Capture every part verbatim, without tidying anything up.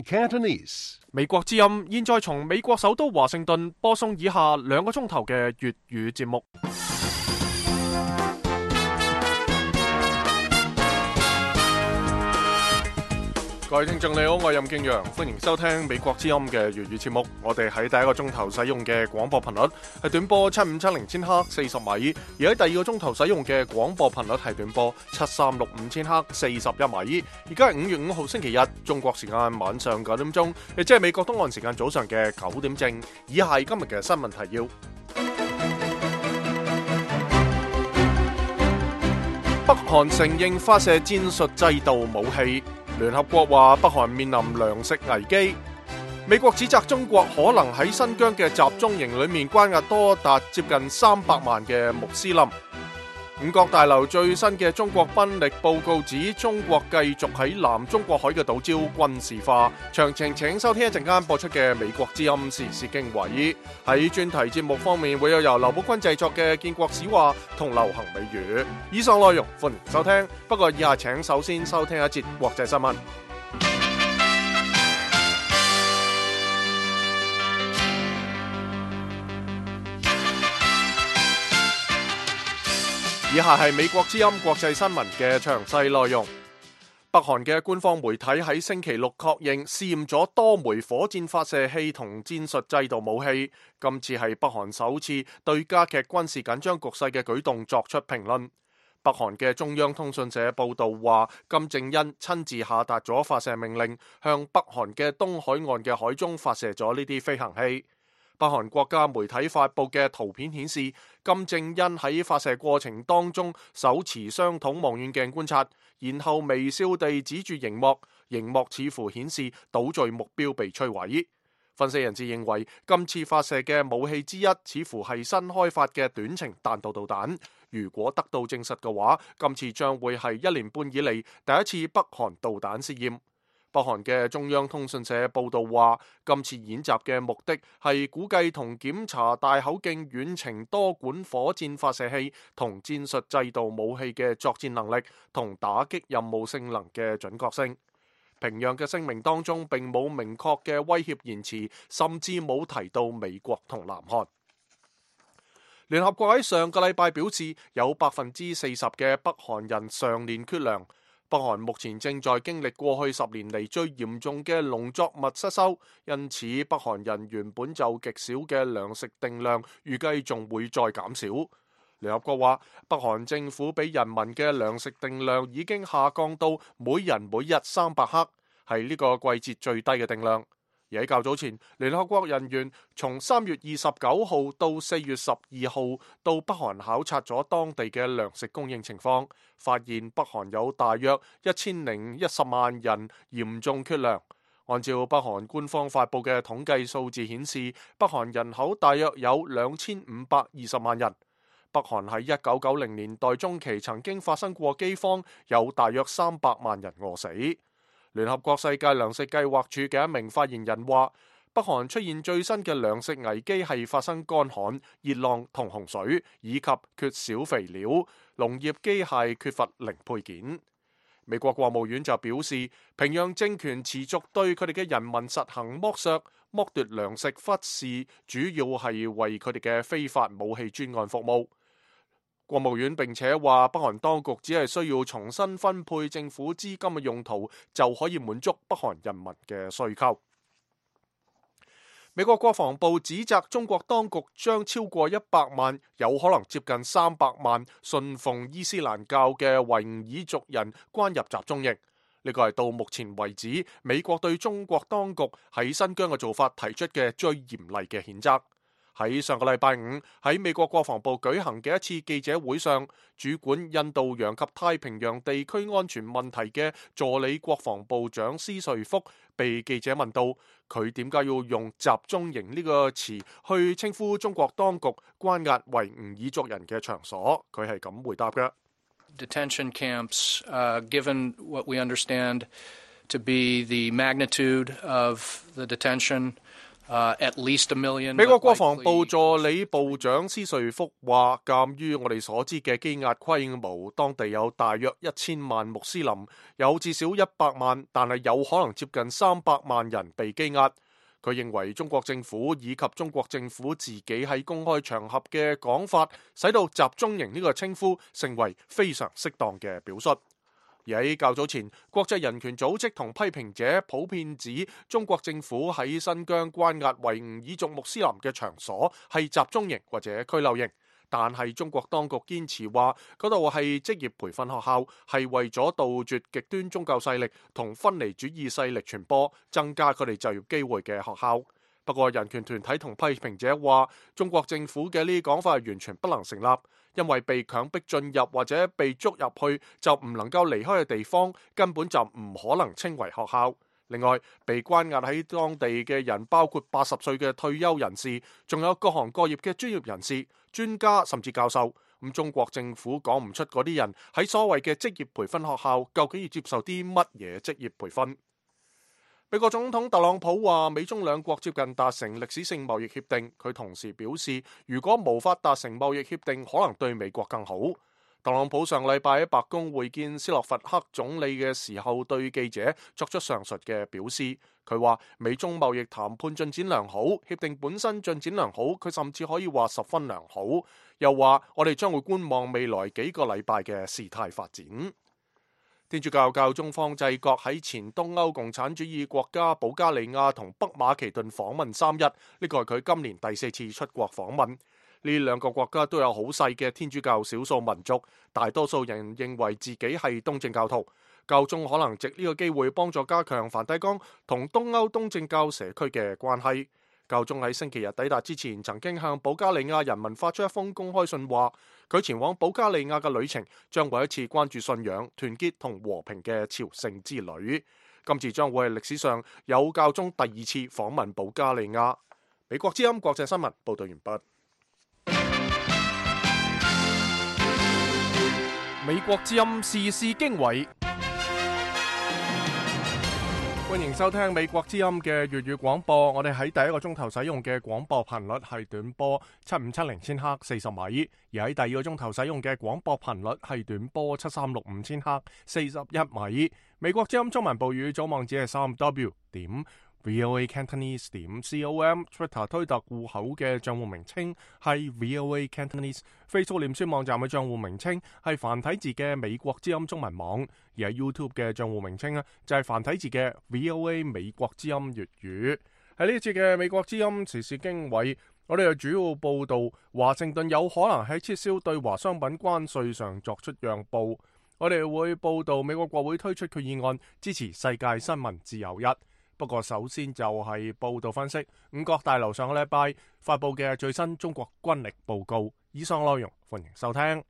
Cantonese 美國之音現在從美國首都華盛頓播送以下兩個鐘頭嘅粵語節目。各位聽眾你好，我係任敬陽，歡迎收聽美國之音嘅粵語節目。我哋喺第一個鐘頭使用嘅廣播頻率係短波七五七零千赫四十米，而喺第二個鐘頭使用嘅廣播頻率係短波七三六五千赫四十一米。而家係五月五號星期日，中國時間晚上九點鐘，亦即係美國東岸時間早上嘅九點正。以下係今日嘅新聞提要。北韓承認發射戰術制導武器。聯合國話北韓面臨糧食危機，美國指責中國可能喺新疆嘅集中營裏面關押多達接近三百萬嘅穆斯林。五角大樓最新嘅中國軍力報告指，中國繼續喺南中國海嘅島礁軍事化。詳情請收聽一陣間播出嘅美國之音時事經緯。喺專題節目方面，會有由劉寶坤製作嘅建國史話同流行美語。以上內容歡迎收聽，不過以下請首先收聽一節國際新聞。以下係美國之音國際新聞嘅詳細內容。北韓嘅官方媒體喺星期六確認試驗咗多枚火箭發射器同戰術制導武器，今次係北韓首次對加劇軍事緊張局勢嘅舉動作出評論。北韓嘅中央通訊社報道話，金正恩親自下達咗發射命令，向北韓嘅東海岸嘅海中發射咗呢啲飛行器。北韓國家媒體發布嘅圖片顯示，金正恩喺發射過程當中手持雙筒望遠鏡觀察，然後微笑地指住熒幕，熒幕似乎顯示島嶼目標被摧毀。分析人士認為，今次發射嘅武器之一似乎係新開發嘅短程彈道導彈。如果得到證實嘅話，今次將會係一年半以嚟第一次北韓導彈試驗。北韓嘅中央通訊社報道話，今次演習嘅目的係估計同檢查大口徑遠程多管火箭發射器同戰術制導武器嘅作戰能力同打擊任務性能嘅準確性。平壤嘅聲明當中並冇明確嘅威脅言辭，甚至冇提到美國同南韓。聯合國喺上個禮拜表示，有百分之四十嘅北韓人常年缺糧。北韓目前正在經歷過去十年嚟最嚴重嘅農作物失收，因此北韓人原本就極少嘅糧食定量，預計仲會再減少。聯合國話，北韓政府俾人民嘅糧食定量已經下降到每人每日三百克，係呢個季節最低嘅定量。而喺較早前，聯合國人員從三月二十九號到四月十二號到北韓考察咗當地嘅糧食供應情況，發現北韓有大約一千零一十萬人嚴重缺糧。按照北韓官方發布嘅統計數字顯示，北韓人口大約有兩千五百二十萬人。北韓喺一九九零年代中期曾經發生過饑荒，有大約三百萬人餓死。聯合國世界糧食計劃署嘅一名發言人話，北韓出現最新嘅糧食危機係發生乾旱、熱浪同洪水，以及缺少肥料、農業機械缺乏零配件。美國國務院就表示，平壤政權持續對佢哋嘅人民實行剝削、剝奪糧食，忽視主要係為佢哋嘅非法武器專案服務。國務院並且話，北韓當局只係需要重新分配政府資金嘅用途，就可以滿足北韓人民嘅需求。美國國防部指責中國當局將超過一百萬，有可能接近三百萬信奉伊斯蘭教嘅維吾爾族人關入集中營。呢個係到目前為止美國對中國當局喺新疆嘅做法提出嘅最嚴厲嘅譴責。喺上個禮拜五，喺美國國防部舉行嘅一次記者會上，主管印度洋及太平洋地區安全問題嘅助理國防部長施瑞福被記者問到，佢點解要用集中營呢個詞去稱呼中國當局關押維吾爾族人嘅場所？佢係咁回答嘅。Detention camps, uh, given what we understand to be the magnitude of the detention, Uh, at least a million. 美國國防部助理部長斯瑞福話，鑑於我哋所知嘅羈押規模，當地有大約一千萬穆斯林，有至少一百萬，但係有可能接近三百萬人被羈押。佢認為中國政府以及中國政府自己喺公開場合嘅講法，使到集中營呢個稱呼成為非常適當嘅表述。而喺較早前，國際人權組織同批評者普遍指中國政府喺新疆關押維吾爾族穆斯林嘅場所係集中營或者拘留營，但係中國當局堅持話嗰度係職業培訓學校，係為咗杜絕極端宗教勢力同分離主義勢力傳播，增加佢哋就業機會嘅學校。不過人權團體同批評者話，中國政府嘅呢啲講法係完全不能成立，因為被強迫進入或者被捉入去就唔能夠離開嘅地方，根本就唔可能稱為學校。另外，被關押喺當地嘅人包括八十歲嘅退休人士，仲有各行各業嘅專業人士、專家甚至教授。咁中國政府講唔出嗰啲人喺所謂嘅職業培訓學校究竟要接受啲乜嘢職業培訓。美國總統特朗普話，美中兩國接近達成歷史性貿易協定。佢同時表示，如果無法達成貿易協定，可能對美國更好。特朗普上禮拜喺白宮會見斯洛伐克總理嘅時候，對記者作出上述嘅表示。佢話美中貿易談判進展良好，協定本身進展良好，佢甚至可以話十分良好。又話我哋將會觀望未來幾個禮拜嘅事態發展。天主教教宗方濟各喺前東歐共產主義國家保加利亞同北馬其頓訪問三日，呢個係佢今年第四次出國訪問。呢兩個國家都有好細嘅天主教少數民族，大多數人認為自己係東正教徒。教宗可能藉呢個機會幫助加強梵蒂岡同東歐東正教社區嘅關係。教宗喺星期日抵達之前，曾經向保加利亞人民發出一封公開信，話佢前往保加利亞嘅旅程將會一次關注信仰、團結同和平嘅朝聖之旅。今次將會係歷史上有教宗第二次訪問保加利亞。美國之音國際新聞報道完畢。美國之音時事經緯。歡迎收聽美國之音嘅粵語廣播。我哋喺第一個鐘頭使用嘅廣播頻率係短波七五七零千赫四十米，而喺第二個鐘頭使用嘅廣播頻率係短波七三六五千赫四十一米。美國之音中文部語組網址係三 W 點 VOA Cantonese 點 com，Twitter 推特戶口嘅賬戶名稱係 VOA Cantonese，Facebook 臉書網站嘅賬戶名稱係繁體字嘅美國之音中文網，而喺 YouTube 嘅賬戶名稱呢就係繁體字嘅 VOA 美國之音粵語。喺呢一節嘅美國之音時事經緯，我哋又主要報道華盛頓有可能喺撤銷對華商品關稅上作出讓步。我哋會報道美國國會推出決議案支持世界新聞自由日。不過首先就係報道分析五角大樓上個禮拜發佈嘅最新中國軍力報告。以上內容歡迎收聽。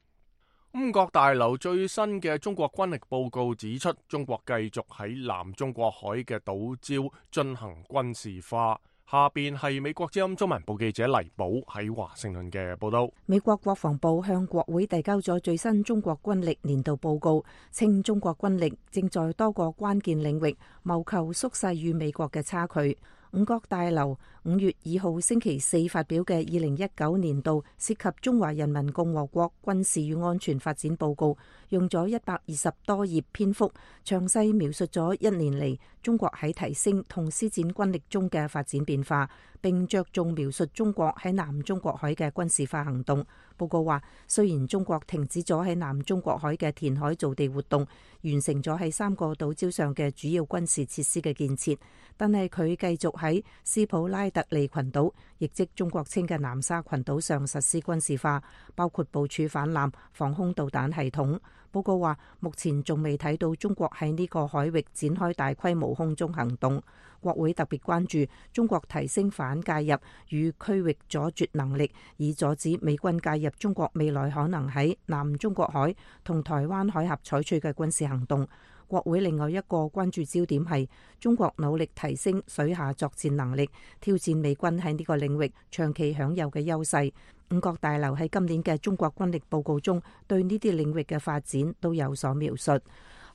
五角大樓最新嘅中國軍力報告指出，中國繼續喺南中國海嘅島礁進行軍事化。下邊係美國之音中文部記者黎寶喺華盛頓嘅報道。美國國防部向國會遞交咗最新中國軍力年度報告，稱中國軍力正在多個關鍵領域謀求縮細與美國嘅差距。五角大樓五月二號星期四發表嘅二零一九年度涉及中華人民共和國軍事與安全發展報告，用咗一百二十多頁篇幅，詳細描述咗一年嚟中國喺提升同施展軍力中嘅發展變化，並着重描述中國喺南中國海嘅軍事化行動。報告話，雖然中國停止咗喺南中國海嘅填海造地活動，完成咗喺三個島礁上嘅主要軍事設施嘅建設，但係佢繼續喺斯普拉特利群島，亦即中國稱嘅南沙群島上實施軍事化，包括部署反艦防空導彈系統。報告話，目前仲未睇到中國喺呢個海域展開大規模空中行動。國會特別關注中國提升反介入與區域阻絕能力，以阻止美軍介入中國未來可能喺南中國海同台灣海峽採取嘅軍事行動。國會另外一個關注焦點係中國努力提升水下作戰能力，挑戰美軍喺呢個領域長期享有嘅優勢。五角大樓喺今年嘅中國軍力報告中對呢啲領域嘅發展都有所描述。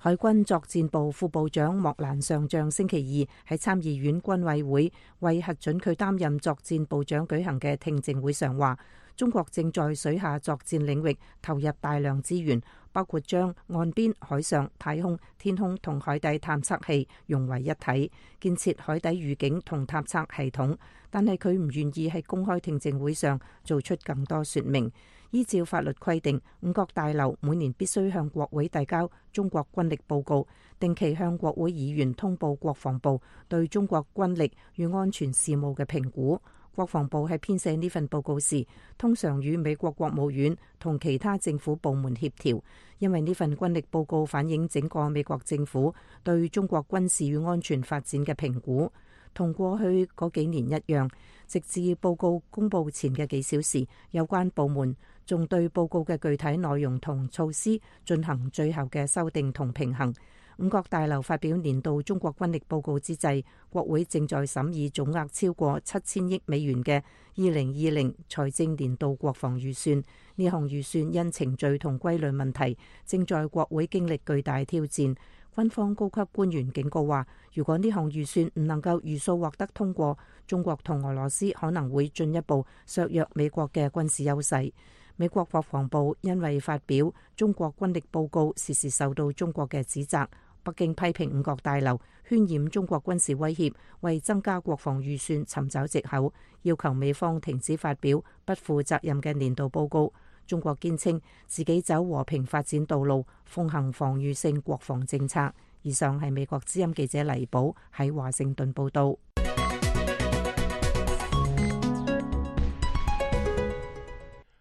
海軍作戰部副部長莫蘭上將星期二喺參議院軍委會為核准佢擔任作戰部長舉行嘅聽證會上話，中國正在水下作戰領域投入大量資源，包括將岸邊、海上、太空、天空同海底探測器融為一體，建設海底預警同探測系統。但係佢唔願意喺公開聽證會上做出更多說明。依照法律規定，五角大樓每年必須向國會遞交中國軍力報告，定期向國會議員通報國防部對中國軍力與安全事務嘅評估。國防部喺編寫呢份報告時，通常與美國國務院同其他政府部門協調，因為呢份軍力報告反映整個美國政府對中國軍事與安全發展嘅評估。同過去嗰幾年一樣，直至報告公佈前嘅幾小時，有關部門仲對報告嘅具體內容同措施進行最後嘅修訂同平衡。五角大樓發表年度中國軍力報告之際，國會正在審議總額超過七千億美元嘅二零二零財政年度國防預算。呢項預算因程序同規律問題，正在國會經歷巨大挑戰。軍方高級官員警告話，如果呢項預算唔能夠如數獲得通過，中國同俄羅斯可能會進一步削弱美國嘅軍事優勢。美國國防部因為發表中國軍力報告，時時受到中國嘅指責。北京批評五角大樓渲染中國軍事威脅，為增加國防預算尋找藉口，要求美方停止發表不負責任嘅年度報告。中國堅稱自己走和平發展道路，奉行防禦性國防政策。以上係美國之音記者黎寶喺華盛頓報道。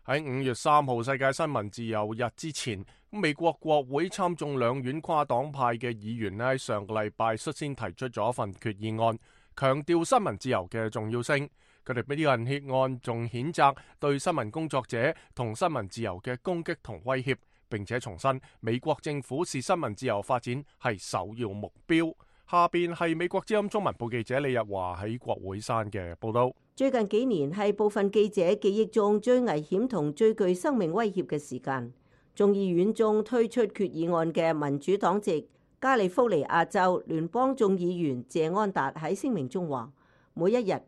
喺五月三號世界新聞自由日之前，美國國會參眾兩院跨黨派嘅議員呢，喺上個禮拜率先提出咗一份決議案，強調新聞自由嘅重要性。佢哋俾呢份決案仲譴責對新聞工作者同新聞自由嘅攻擊同威脅，並且重申美國政府視新聞自由發展係首要目標。下邊係美國之音中文部記者李日華喺國會山嘅報道。最近幾年係部分記者記憶中最危險同最具生命威脅嘅時間。眾議院中推出決議案嘅民主黨籍加利福尼亞州聯邦眾議員謝安達喺聲明中話，每一日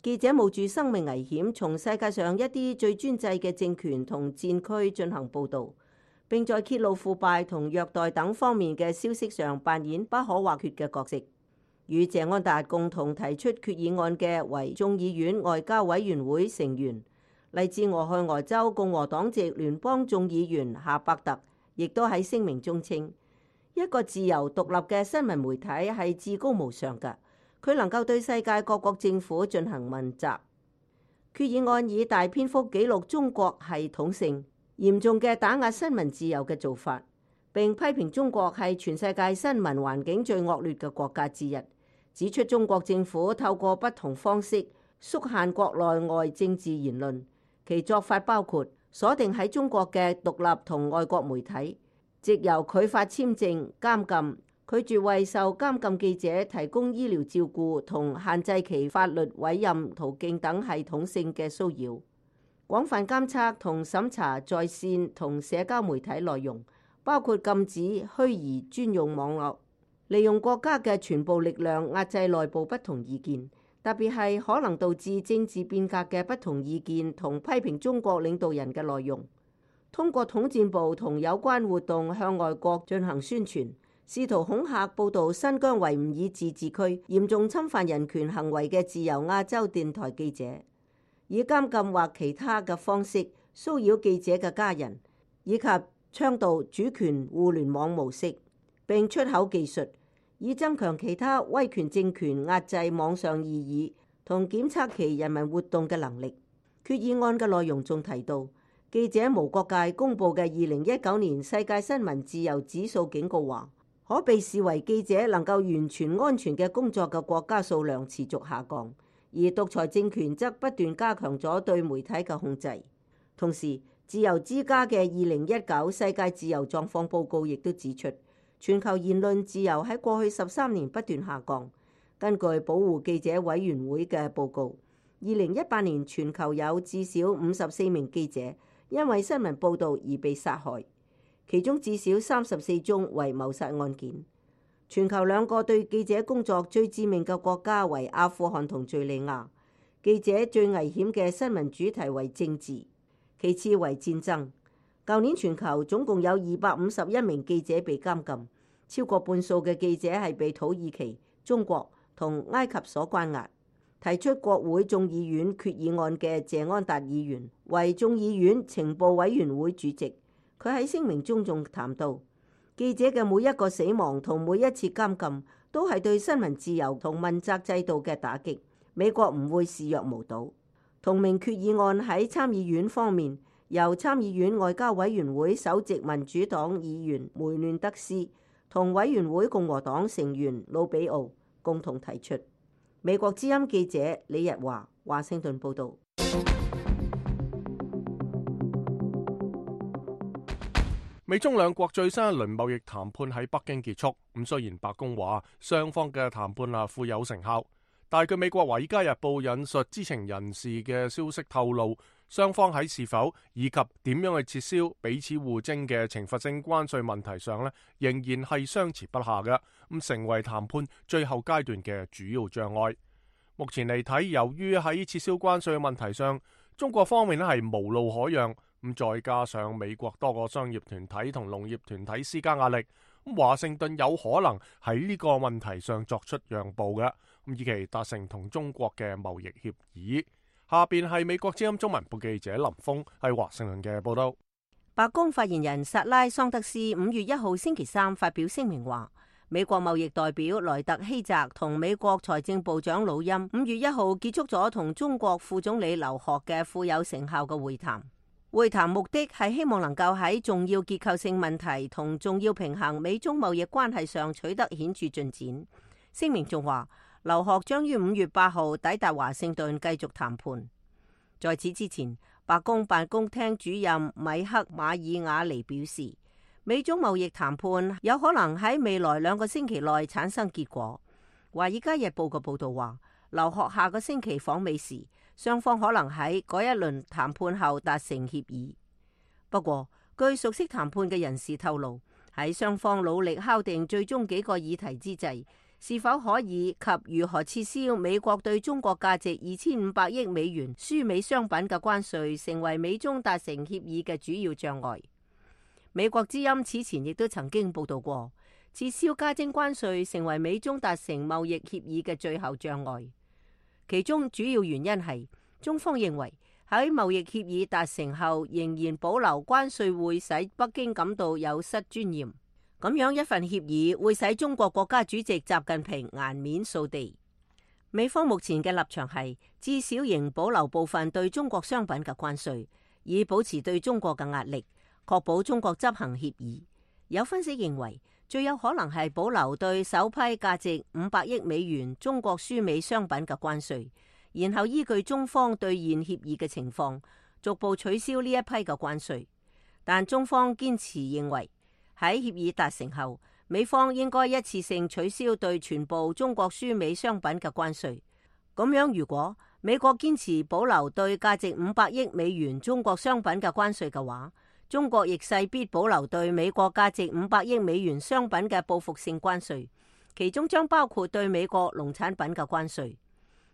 記者冒住生命危險從世界上一啲最專制嘅政權同戰區進行報導，並在揭露腐敗同虐待等方面嘅消息上扮演不可或缺嘅角色。與謝安達共同提出決議案嘅為眾議院外交委員會成員，嚟自俄亥俄州共和黨籍聯邦眾議員夏伯特，亦都喺聲明中稱，一個自由獨立嘅新聞媒體係至高無上嘅。佢能夠對世界各國政府進行問責。決議案以大篇幅記錄中國系統性嚴重嘅打壓新聞自由嘅做法，並批評中國係全世界新聞環境最惡劣嘅國家之一，指出中國政府透過不同方式縮限國內外政治言論，其做法包括鎖定喺中國嘅獨立同外國媒體，藉由拒發簽證、監禁、拒絕為受監禁記者提供醫療照顧同限制其法律委任途徑等系統性嘅騷擾，廣泛監測同審查在線同社交媒體內容，包括禁止虛擬專用網絡，利用國家嘅全部力量壓制內部不同意見，特別係可能導致政治變革嘅不同意見同批評中國領導人嘅內容，通過統戰部同有關活動向外國進行宣傳，試圖恐嚇報導新疆維吾爾自治區嚴重侵犯人權行為嘅自由亞洲電台記者，以監禁或其他嘅方式騷擾記者嘅家人，以及倡導主權互聯網模式，並出口技術，以增強其他威權政權壓制網上異議同檢測其人民活動嘅能力。決議案嘅內容仲提到，記者無國界公佈嘅二零一九年世界新聞自由指數警告話，可被視為記者能夠完全安全嘅工作嘅國家數量持續下降，而獨裁政權則不斷加強咗對媒體嘅控制。同時，自由之家嘅二零一九世界自由狀況報告亦都指出，全球言論自由喺過去十三年不斷下降。根據保護記者委員會嘅報告，二零一八年全球有至少五十四名記者因為新聞報導而被殺害。其中至少三十四宗為謀殺案件。全球兩個對記者工作最致命嘅國家為阿富汗同敘利亞。記者最危險嘅新聞主題為政治，其次為戰爭。舊年全球總共有二百五十一名記者被監禁，超過半數嘅記者係被土耳其、中國同埃及所關押。提出國會眾議院決議案嘅謝安達議員為眾議院情報委員會主席，佢喺聲明中仲談到，記者嘅每一個死亡同每一次監禁都係對新聞自由同問責制度嘅打擊。美國唔會視若無睹。同名決議案喺參議院方面，由參議院外交委員會首席民主黨議員梅嫩德斯同委員會共和黨成員魯比奧共同提出。美國之音記者李日華華盛頓報導。美中兩國最新一輪貿易談判喺北京結束。咁雖然白宮話雙方嘅談判啊富有成效，但係據美國《華爾街日報》引述知情人士嘅消息透露，雙方喺是否以及點樣去撤銷彼此互徵嘅懲罰性關稅問題上呢，仍然係相持不下嘅，咁成為談判最後階段嘅主要障礙。目前嚟睇，由於喺撤銷關稅嘅問題上，中國方面咧係無路可讓，咁再加上美國多個商業團體同農業團體施加壓力，咁華盛頓有可能喺呢個問題上作出讓步嘅，咁以期達成同中國嘅貿易協議。下邊係美國之音中文部記者林峰喺華盛頓嘅報道。白宮發言人薩拉桑德斯五月一號星期三發表聲明話，美國貿易代表萊特希澤同美國財政部長魯欽五月一號結束咗同中國副總理劉鶴嘅富有成效嘅會談。會談目的係希望能夠喺重要結構性問題同重要平衡美中貿易關係上取得顯著進展。聲明仲話，劉鶴將於五月八號抵達華盛頓繼續談判。在此之前，白宮辦公廳主任米克馬爾瓦尼表示，美中貿易談判有可能喺未來兩個星期內產生結果。華爾街日報嘅報道話，劉鶴下個星期訪美時，雙方可能喺嗰一輪談判後達成協議。不過，據熟悉談判嘅人士透露，喺雙方努力敲定最終幾個議題之際，是否可以及如何撤銷美國對中國價值二千五百億美元輸美商品嘅關稅，成為美中達成協議嘅主要障礙。美國之音此前亦都曾經報道過，撤銷加徵關稅成為美中達成貿易協議嘅最後障礙。其中主要原因係中方認為喺貿易協議達成後，仍然保留關稅會使北京感到有失尊嚴。咁樣一份協議會使中國國家主席習近平顏面掃地。美方目前嘅立場係至少仍保留部分對中國商品嘅關稅，以保持對中國嘅壓力，確保中國執行協議。有分析認為，最有可能係保留對首批價值五百億美元中國輸美商品嘅關稅，然後依據中方兌現協議嘅情況，逐步取消呢一批嘅關稅。但中方堅持認為，喺協議達成後，美方應該一次性取消對全部中國輸美商品嘅關稅。咁樣，如果美國堅持保留對價值五百億美元中國商品嘅關稅嘅話，中國亦勢必保留對美國價值五百億美元商品嘅報復性關稅，其中將包括對美國農產品嘅關稅。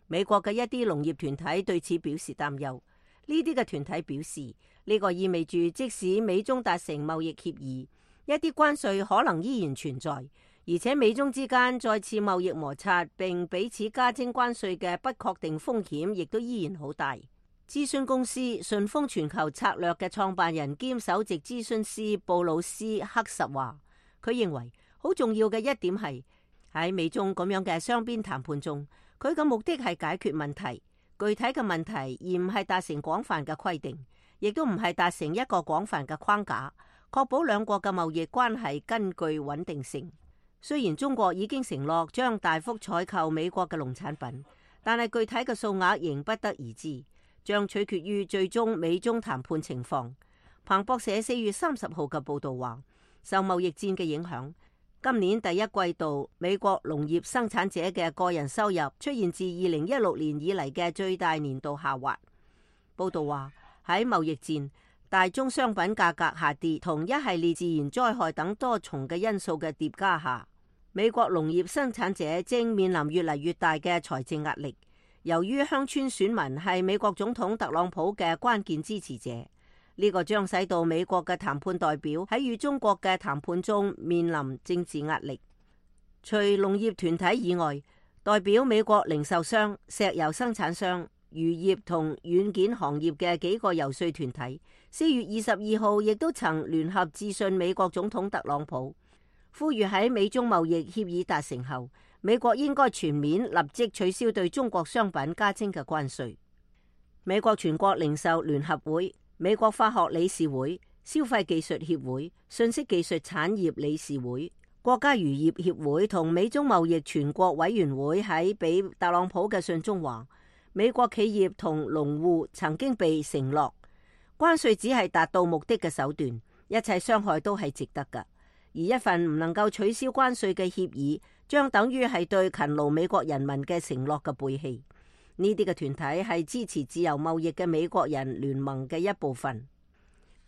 美國嘅一啲農業團體對此表示擔憂。呢啲嘅團體表示，呢個意味住即使美中達成貿易協議，一啲關稅可能依然存在，而且美中之間再次貿易摩擦並彼此加徵關稅嘅不確定風險亦都依然好大。諮詢公司順豐全球策略嘅創辦人兼首席諮詢師布魯斯克實話，佢認為好重要嘅一點係喺美中咁樣嘅雙邊談判中，佢嘅目的係解決問題，具體嘅問題，而唔係達成廣泛嘅規定，亦都唔係達成一個廣泛嘅框架，確保兩國嘅貿易關係根據穩定性。雖然中國已經承諾將大幅採購美國嘅農產品，但係具體嘅數額仍不得而知，將取決於最終美中談判情況。彭博社四月三十號嘅報道話，受貿易戰嘅影響，今年第一季度美國農業生產者嘅個人收入出現自二零一六年以嚟嘅最大年度下滑。報道話，喺貿易戰，大宗商品價格下跌同一系列自然災害等多重嘅因素嘅疊加下，美國農業生產者正面臨越嚟越大嘅財政壓力。由於鄉村選民係美國總統特朗普嘅關鍵支持者，呢個將使到美國嘅談判代表喺與中國嘅談判中面臨政治壓力。除農業團體以外，代表美國零售商、石油生產商、漁業同軟件行業嘅幾個遊說團體，四月二十二號亦都曾聯合致信美國總統特朗普，呼籲喺美中貿易協議達成後，美國應該全面立即取消對中國商品加徵嘅關稅。美國全國零售聯合會、美國化學理事會、消費技術協會、信息技術產業理事會、國家漁業協會同美中貿易全國委員會喺俾特朗普嘅信中話，美國企業同農戶曾經被承諾，關稅只係達到目的嘅手段，一切傷害都係值得㗎。而一份唔能夠取消關稅嘅協議，將等於係對勤勞美國人民嘅承諾嘅背棄。呢啲嘅團體係支持自由貿易嘅美國人聯盟嘅一部分。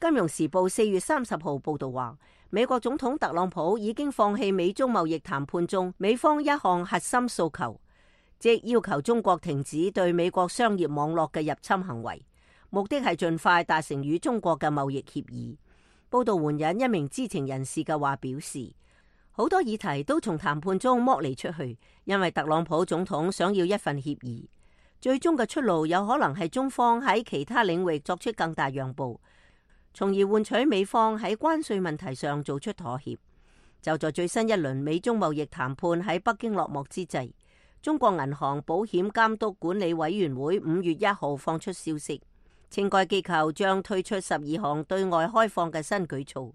金融時報四月三十號報道話，美國總統特朗普已經放棄美中貿易談判中美方一項核心訴求，即要求中國停止對美國商業網絡嘅入侵行為，目的係盡快達成與中國嘅貿易協議。報道援引一名知情人士嘅話表示，好多議題都從談判中剝離出去，因為特朗普總統想要一份協議。最終嘅出路有可能係中方喺其他領域作出更大讓步，從而換取美方喺關稅問題上做出妥協。就在最新一輪美中貿易談判喺北京落幕之際，中國銀行保險監督管理委員會五月一號放出消息，稱該機構將推出十二項對外開放嘅新舉措。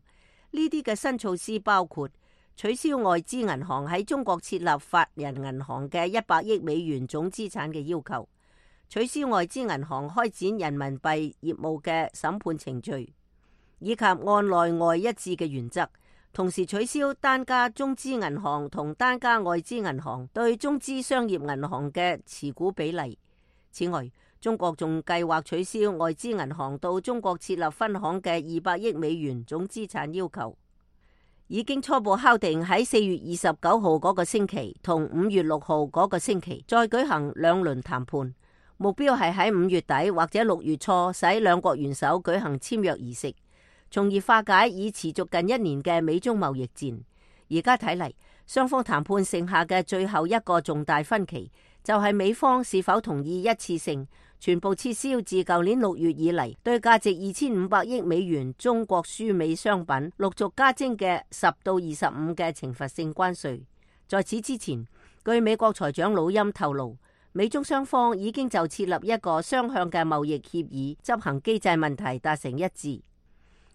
呢啲嘅新措施包括取消外資銀行喺中國設立法人銀行嘅一百億美元總資產嘅要求，取消外資銀行開展人民幣業務嘅審判程序，以及按內外一致嘅原則，同時取消單家中資銀行同單家外資銀行對中資商業銀行嘅持股比例。此外，中國仲計劃取消外資銀行到中國設立分行嘅二百億美元總資產要求。已經初步敲定喺四月二十九號嗰個星期同五月六號嗰個星期再舉行兩輪談判。目標係喺五月底或者六月初使兩國元首舉行簽約儀式，從而化解已持續近一年嘅美中貿易戰。而家睇嚟，雙方談判剩下嘅最後一個重大分歧，就係美方是否同意一次性全部撤銷自舊年六月以嚟對價值二千五百億美元中國輸美商品陸續加徵嘅十到二十五嘅懲罰性關稅。在此之前，據美國財長魯欽透露，美中雙方已經就設立一個雙向嘅貿易協議執行機制問題達成一致。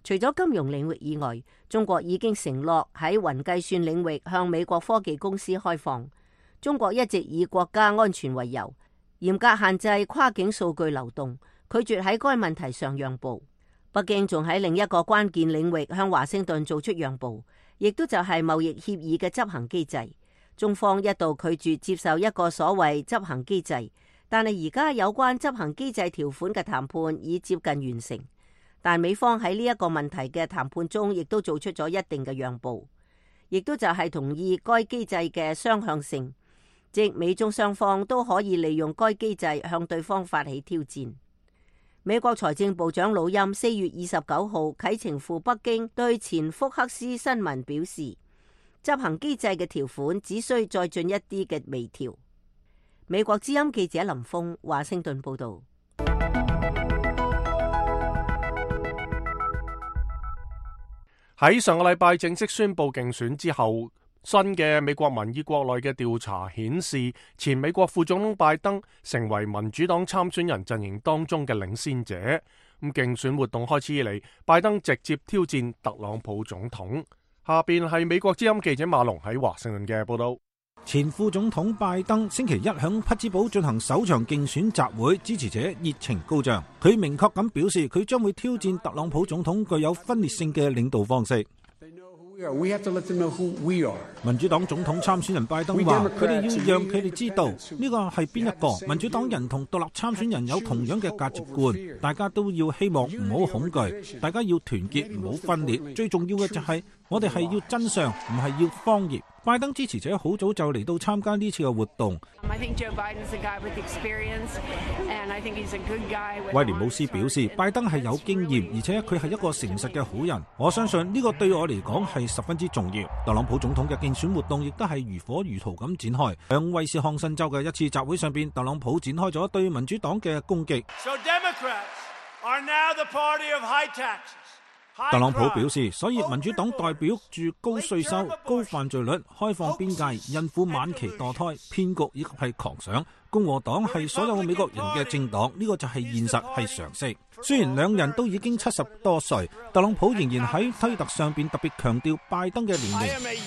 除咗金融領域以外，中國已經承諾喺雲計算領域向美國科技公司開放。中國一直以國家安全為由，嚴格限制跨境數據流動，拒絕喺該問題上讓步。北京仲喺另一個關鍵領域向華盛頓做出讓步，亦都就係貿易協議嘅執行機制。中方一度拒絕接受一個所謂執行機制，但係而家有關執行機制條款嘅談判已接近完成。但美方喺呢一個問題嘅談判中，亦都做出咗一定嘅讓步，亦都就係同意該機制嘅雙向性，即美中雙方都可以利用該機制向對方發起挑戰。美國財政部長魯欽四月二十九號啟程赴北京，對前福克斯新聞表示，執行機制嘅條款只需再進一啲嘅微調。美國之音記者林峰華盛頓報道。喺上個禮拜正式宣布競選之後，新嘅美國民意國內嘅調查顯示，前美國副總統拜登成為民主黨參選人陣營當中嘅領先者。咁競選活動開始以嚟，拜登直接挑戰特朗普總統。下邊係美國之音記者馬龍喺華盛頓嘅報道。前副總統拜登星期一響匹茲堡進行首場競選集會，支持者熱情高漲。佢明確咁表示，佢將會挑戰特朗普總統具有分裂性嘅領導方式。民主黨總統參選人拜登話：佢哋要讓佢哋知道呢個係邊一個。民主黨人同獨立參選人有同樣嘅價值觀，大家都要希望唔好恐懼，大家要團結，唔好分裂。最重要嘅就係我哋係要真相，唔係要謊言。拜登支持者好早就嚟到參加呢次嘅活動。威廉姆斯表示，拜登係有經驗，而且佢係一個誠實嘅好人。我相信呢個對我嚟講係十分之重要。特朗普總統嘅競選活動亦都係如火如荼咁展開。響威斯康辛州嘅一次集會上邊，特朗普展開咗對民主黨嘅攻擊。So Democrats are now the party of high taxes. 特朗普表示，所以民主黨代表住高稅收、高犯罪率、開放邊界、孕婦晚期墮胎、騙局以及係狂想。共和黨係所有美國人嘅政黨，呢個就係現實，係常識。雖然兩人都已經七十多歲，特朗普仍然喺推特上邊特別強調拜登嘅年齡。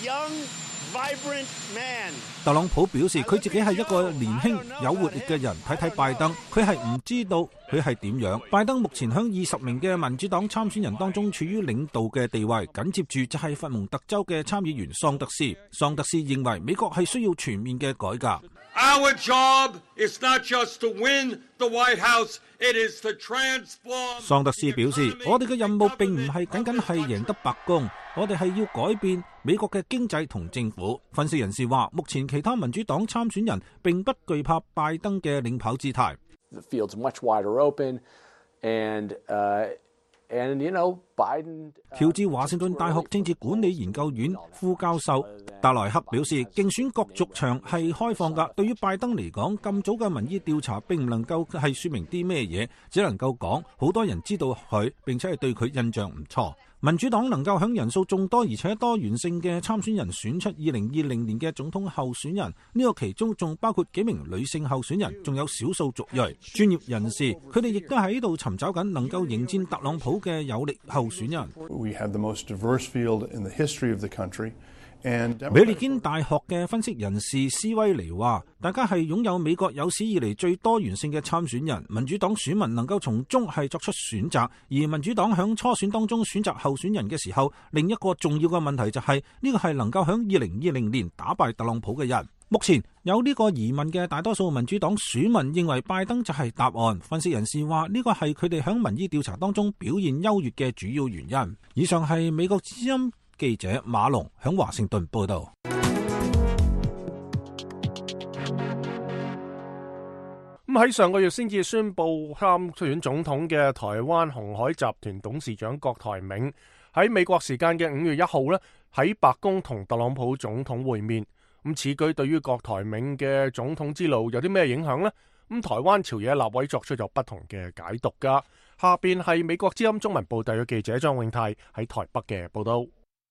特朗普表示佢自己係一個年輕有活力嘅人，睇睇拜登，佢係唔知道佢係點樣。拜登目前響二十名嘅民主黨參選人當中處於領導嘅地位，緊接住就係佛蒙特州嘅參議員桑德斯。桑德斯認為美國係需要全面嘅改革。Our job is not just to win the White House, it is to transform. 桑德斯表示，我哋嘅任務並唔係僅僅係贏得白宮，我哋係要改變美國嘅經濟同政府。分析人士話，目前其他民主黨參選人並不懼怕拜登嘅領跑姿態。The field's much wider open, and, uh, and, you know, Biden. 喬治華盛頓大學政治管理研究院副教授達萊克表示，競選角逐場係開放㗎。對於拜登嚟講，咁早嘅民意調查並唔能夠係說明啲咩嘢，只能夠講好多人知道佢，並且係對佢印象唔錯。民主黨能夠響人數眾多而且多元性嘅參選人選出二零二零年嘅總統候選人，呢個其中仲包括幾名女性候選人，仲有少數族裔。專業人士佢哋亦都喺度尋找緊能夠迎戰特朗普嘅有力候選人。We have the most diverse field in the history of the country. 美利堅大學嘅分析人士斯威尼話，大家係擁有美國有史以嚟最多元性嘅參選人，民主黨選民能夠從中係作出選擇，而民主黨響初選當中選擇候選人嘅時候，另一個重要嘅問題就係呢個係能夠響二零二零年打敗特朗普嘅人。目前有呢個疑問嘅大多數民主黨選民認為拜登就係答案。分析人士話，呢個係佢哋響民意調查當中表現優越嘅主要原因。以上係美國之音記者馬龍響華盛頓報道。咁喺上個月先至宣布參選總統嘅台灣鴻海集團董事長郭台銘喺美國時間嘅五月一號呢，喺白宮同特朗普總統會面。咁此舉對於郭台銘嘅總統之路有啲咩影響呢？咁台灣朝野立委作出咗不同嘅解讀噶。下邊係美國之音中文部特約記者張永泰喺台北嘅報道。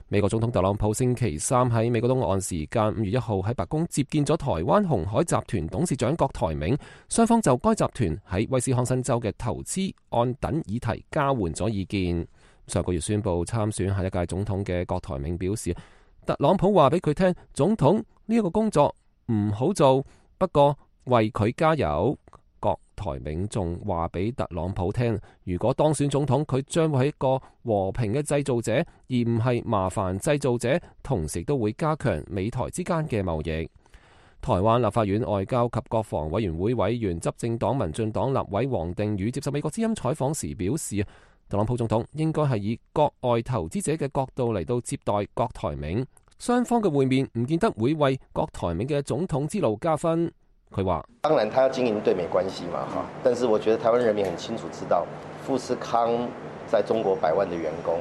美國總統特朗普星期三喺美國東岸時間五月一號喺白宮接見咗台灣鴻海集團董事長郭台銘，雙方就該集團喺威斯康辛州嘅投資案等議題交換咗意見。上個月宣布參選下一屆總統嘅郭台銘表示，特朗普話俾佢聽，總統呢一個工作唔好做，不過為佢加油。郭台銘仲話俾特朗普聽，如果當選總統，佢將會係一個和平嘅製造者，而唔係麻煩製造者，同時都會加強美台之間嘅貿易。台灣立法院外交及國防委員會委員、執政黨民進黨立委王定宇接受美國之音採訪時表示，特朗普總統應該係以國外投資者嘅角度嚟到接待郭台銘，雙方嘅會面唔見得會為郭台銘嘅總統之路加分。佢話：當然，他要經營對美關係嘛，哈。但是我覺得台灣人民很清楚知道，富士康在中國百萬的員工，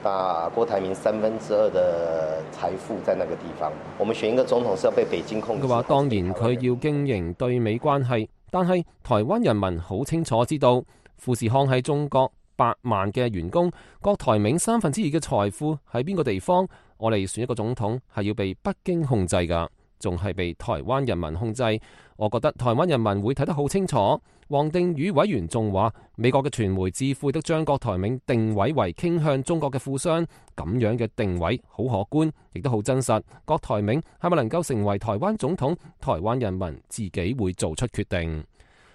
那郭台銘三分之二的財富在那個地方。我們選一個總統是要被北京控制。佢話：當然佢要經營對美關係，但係台灣人民好清楚知道，富士康喺中國百萬嘅員工，郭台銘三分之二嘅財富喺邊個地方？我哋選一個總統係要被北京控制㗎。仲係被台灣人民控制，我覺得台灣人民會睇得好清楚。王定宇委員仲話，美國嘅傳媒智庫都將郭台銘定位為傾向中國嘅富商，咁樣嘅定位好可觀，亦都好真實。郭台銘係咪能夠成為台灣總統，台灣人民自己會做出決定。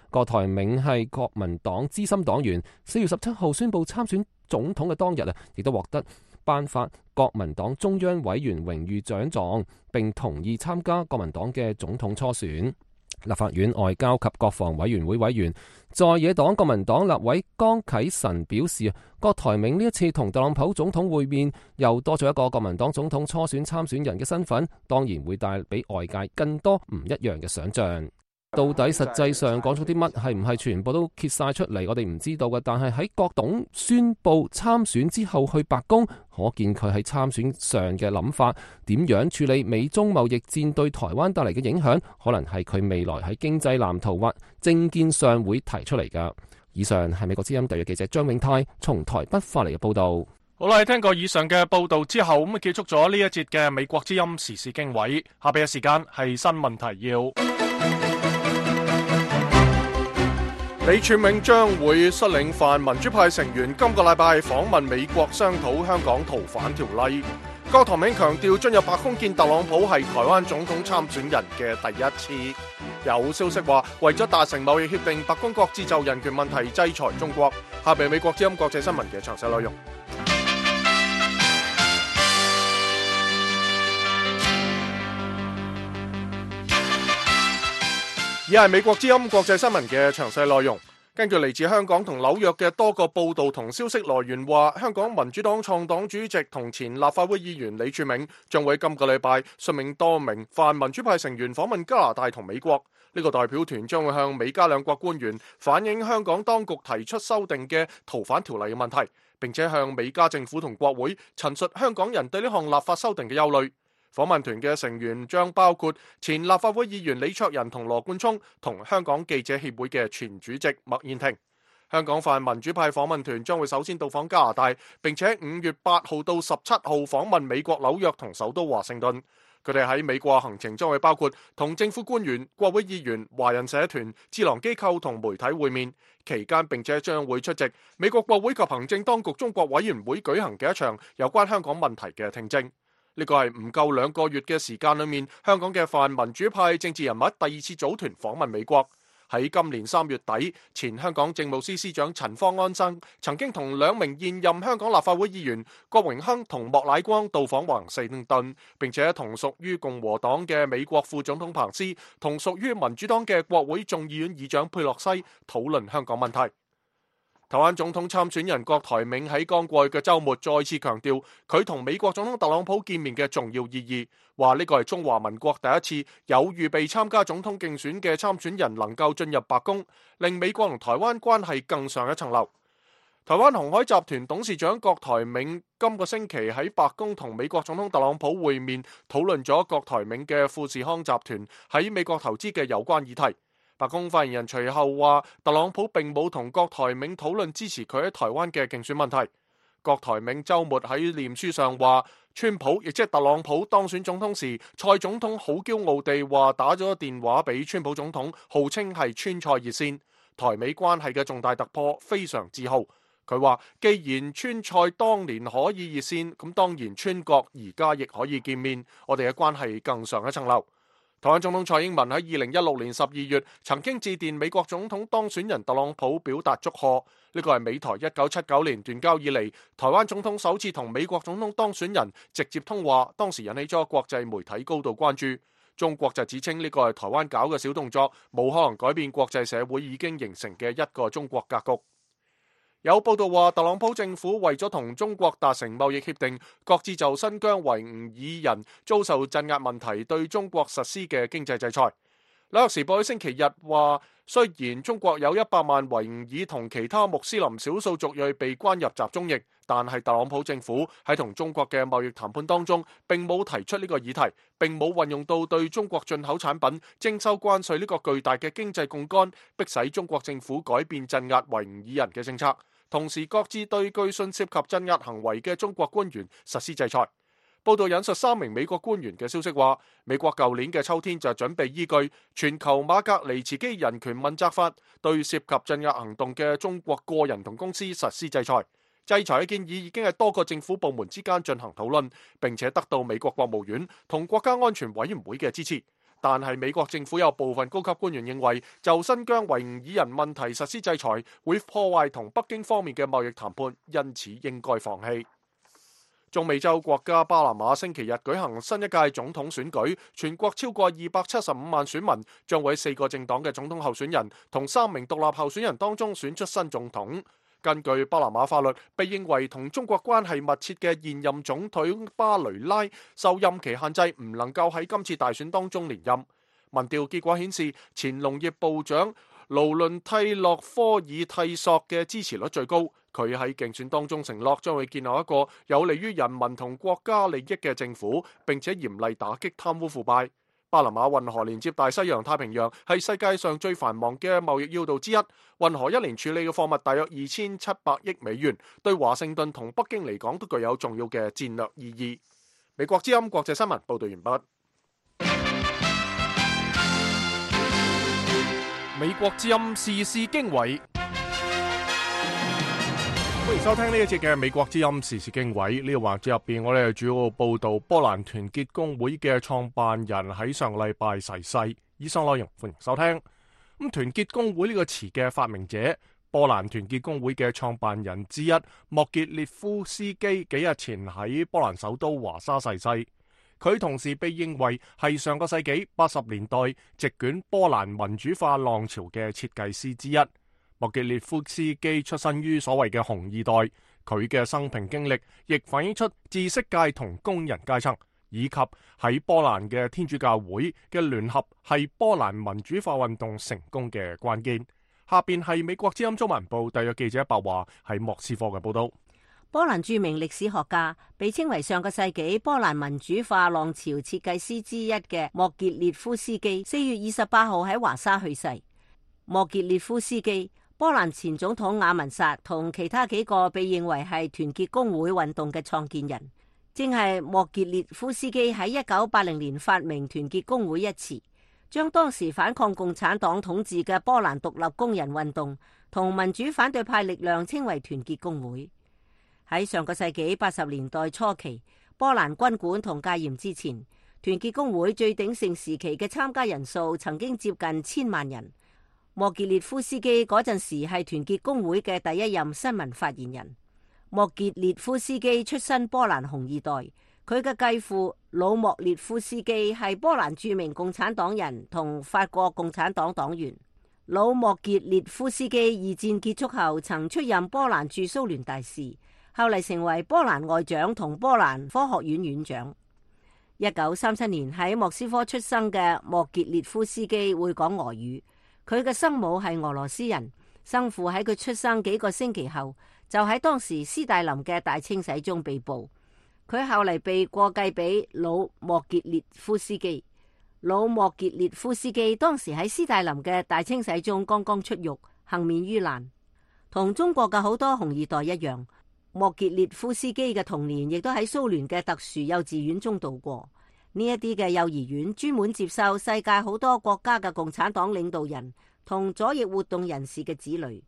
郭台銘係國民黨資深黨員，四月十七號宣布參選總統嘅當日啊，亦都獲得頒發國民黨中央委員榮譽獎狀，並同意參加國民黨嘅總統初選。立法院外交及國防委員會委員在野黨國民黨立委江啟臣表示，郭台銘呢一次同特朗普總統會面，又多咗一個國民黨總統初選參選人嘅身份，當然會帶俾外界更多唔一樣嘅想像。到底實際上講咗啲乜，係唔係全部都揭晒出嚟？我哋唔知道嘅。但係喺郭董宣布參選之後去白宮，可見佢喺參選上嘅諗法，點樣處理美中貿易戰對台灣帶嚟嘅影響，可能係佢未來喺經濟藍圖或政見上會提出嚟噶。以上係美國之音特約記者張永泰從台北發嚟嘅報道。好啦，聽過以上嘅報道之後，咁啊結束咗呢一節嘅美國之音時事經緯。下邊嘅時間係新聞提要。李柱銘將會率領泛民主派成員今個禮拜訪問美國，商討香港逃犯條例。郭台銘強調進入白宮見特朗普係台灣總統參選人嘅第一次。有消息話，為咗達成貿易協定，白宮擱置就人權問題制裁中國。下邊美國之音國際新聞嘅詳細內容。而係美國之音國際新聞嘅詳細內容。根據嚟自香港同紐約嘅多個報道同消息來源話，香港民主黨創黨主席同前立法會議員李柱銘將會今個禮拜率領多名泛民主派成員訪問加拿大同美國。呢個代表團將會向美加兩國官員反映香港當局提出修訂嘅逃犯條例嘅問題，並且向美加政府同國會陳述香港人對呢項立法修訂嘅憂慮。訪問團嘅成員將包括前立法會議員李卓人同羅冠聰，同香港記者協會嘅前主席麥燕庭。香港泛民主派訪問團將會首先到訪加拿大，並且五月八號到十七號訪問美國紐約同首都華盛頓。佢哋喺美國行程將會包括同政府官員、國會議員、華人社團、智囊機構同媒體會面，期間並且將會出席美國國會及行政當局中國委員會舉行嘅一場有關香港問題嘅聽證。呢個係唔夠兩個月嘅時間裏面，香港嘅泛民主派政治人物第二次組團訪問美國。喺今年三月底，前香港政務司司長陳方安生曾經同兩名現任香港立法會議員郭榮鏗同莫乃光到訪華盛頓，並且同屬於共和黨嘅美國副總統彭斯同屬於民主黨嘅國會眾議院議長佩洛西討論香港問題。台灣總統參選人郭台銘喺剛過去嘅週末再次強調佢同美國總統特朗普見面嘅重要意義，話呢個係中華民國第一次有預備參加總統競選嘅參選人能夠進入白宮，令美國同台灣關係更上一層樓。台灣鴻海集團董事長郭台銘今個星期喺白宮同美國總統特朗普會面，討論咗郭台銘嘅富士康集團喺美國投資嘅有關議題。白宮發言人隨後話，特朗普並冇同郭台銘討論支持佢喺台灣嘅競選問題。郭台銘週末喺臉書上話，川普亦即係特朗普當選總統時，蔡總統好驕傲地話打咗電話俾川普總統，號稱係川蔡熱線，台美關係嘅重大突破，非常自豪。佢話，既然川蔡當年可以熱線，咁當然川國而家亦可以見面，我哋嘅關係更上一層樓。台灣總統蔡英文喺二零一六年十二月曾經致電美國總統當選人特朗普表達祝賀，呢個係美台一九七九年斷交以嚟，台灣總統首次同美國總統當選人直接通話，當時引起咗國際媒體高度關注。中國就指稱呢個係台灣搞嘅小動作，冇可能改變國際社會已經形成嘅一個中國格局。有報道話，特朗普政府為咗同中國達成貿易協定，擱置就新疆維吾爾人遭受鎮壓問題對中國實施嘅經濟制裁。紐約時報喺星期日話，雖然中國有一百萬維吾爾同其他穆斯林少數族裔被關入集中營，但係特朗普政府喺同中國嘅貿易談判當中並冇提出呢個議題，並冇運用到對中國進口產品徵收關稅呢個巨大嘅經濟槓桿，迫使中國政府改變鎮壓維吾爾人嘅政策。同時擱置對據信涉及鎮壓行為嘅中國官員實施制裁。報道引述三名美國官員嘅消息話，美國舊年嘅秋天就準備依據全球馬格尼茨基人權問責法，對涉及鎮壓行動嘅中國個人同公司實施制裁。制裁嘅建議已經係多個政府部門之間進行討論，並且得到美國國務院同國家安全委員會嘅支持。但係美國政府有部分高級官員認為，就新疆維吾爾人問題實施制裁會破壞同北京方面嘅貿易談判，因此應該放棄。中美洲國家巴拿馬星期日舉行新一屆總統選舉，全國超過二百七十五萬選民將會喺四個政黨嘅總統候選人同三名獨立候選人當中選出新總統。根據巴拿馬法律，被認為同中國關係密切嘅現任總統巴雷拉受任期限制，唔能夠喺今次大選當中連任。民調結果顯示，前農業部長勞倫蒂洛科爾蒂索嘅支持率最高。佢喺競選當中承諾將會建立一個有利於人民同國家利益嘅政府，並且嚴厲打擊貪污腐敗。巴拿馬運河連接大西洋太平洋，係世界上最繁忙嘅貿易要道之一。運河一年處理嘅貨物大約二千七百億美元，對華盛頓同北京嚟講都具有重要嘅戰略意義。美國之音國際新聞報道完畢。美國之音時事經緯，歡迎收聽呢一節嘅美國之音時事經緯。呢個環節入邊，我哋主要報道波蘭團結工會嘅創辦人喺上個禮拜逝世。以上內容歡迎收聽。咁團結工會呢個詞嘅發明者，波蘭團結工會嘅創辦人之一莫傑列夫斯基幾日前喺波蘭首都華沙逝世。佢同時被認為係上個世紀八十年代席捲波蘭民主化浪潮嘅設計師之一。莫傑列夫斯基出身於所謂嘅紅二代，佢嘅生平經歷亦反映出知識界同工人階層，以及喺波蘭嘅天主教會嘅聯合係波蘭民主化運動成功嘅關鍵。下邊係美國之音中文部特約記者白華喺莫斯科嘅報道。波蘭著名歷史學家，被稱為上個世紀波蘭民主化浪潮設計師之一嘅莫傑列夫斯基，四月二十八號喺華沙去世。莫傑列夫斯基，波蘭前總統雅文薩同其他幾個被認為係團結工會運動嘅創建人，正係莫傑列夫斯基喺一九八零年發明團結工會一詞，將當時反抗共產黨統治嘅波蘭獨立工人運動同民主反對派力量稱為團結工會。喺上個世紀八十年代初期，波蘭軍管同戒嚴之前，團結工會最鼎盛時期嘅參加人數曾經接近千萬人。莫傑列夫斯基嗰陣時係團結工會嘅第一任新聞發言人。莫傑列夫斯基出身波蘭紅二代，佢嘅繼父魯莫列夫斯基係波蘭著名共產黨人同法國共產黨黨員。魯莫傑列夫斯基二戰結束後曾出任波蘭駐蘇聯大使，後嚟成為波蘭外長同波蘭科學院院長。一九三七年喺莫斯科出生嘅莫傑列夫斯基會講俄語，佢嘅生母係俄羅斯人，生父喺佢出生幾個星期後就喺當時斯大林嘅大清洗中被捕，佢後嚟被過繼俾魯莫傑列夫斯基。魯莫傑列夫斯基當時喺斯大林嘅大清洗中剛剛出獄，幸免於難。同中國嘅好多紅二代一樣，莫傑列夫斯基嘅童年亦都喺蘇聯嘅特殊幼稚園中度過。呢一啲嘅幼兒園專門接受世界好多國家嘅共產黨領導人同左翼活動人士嘅子女。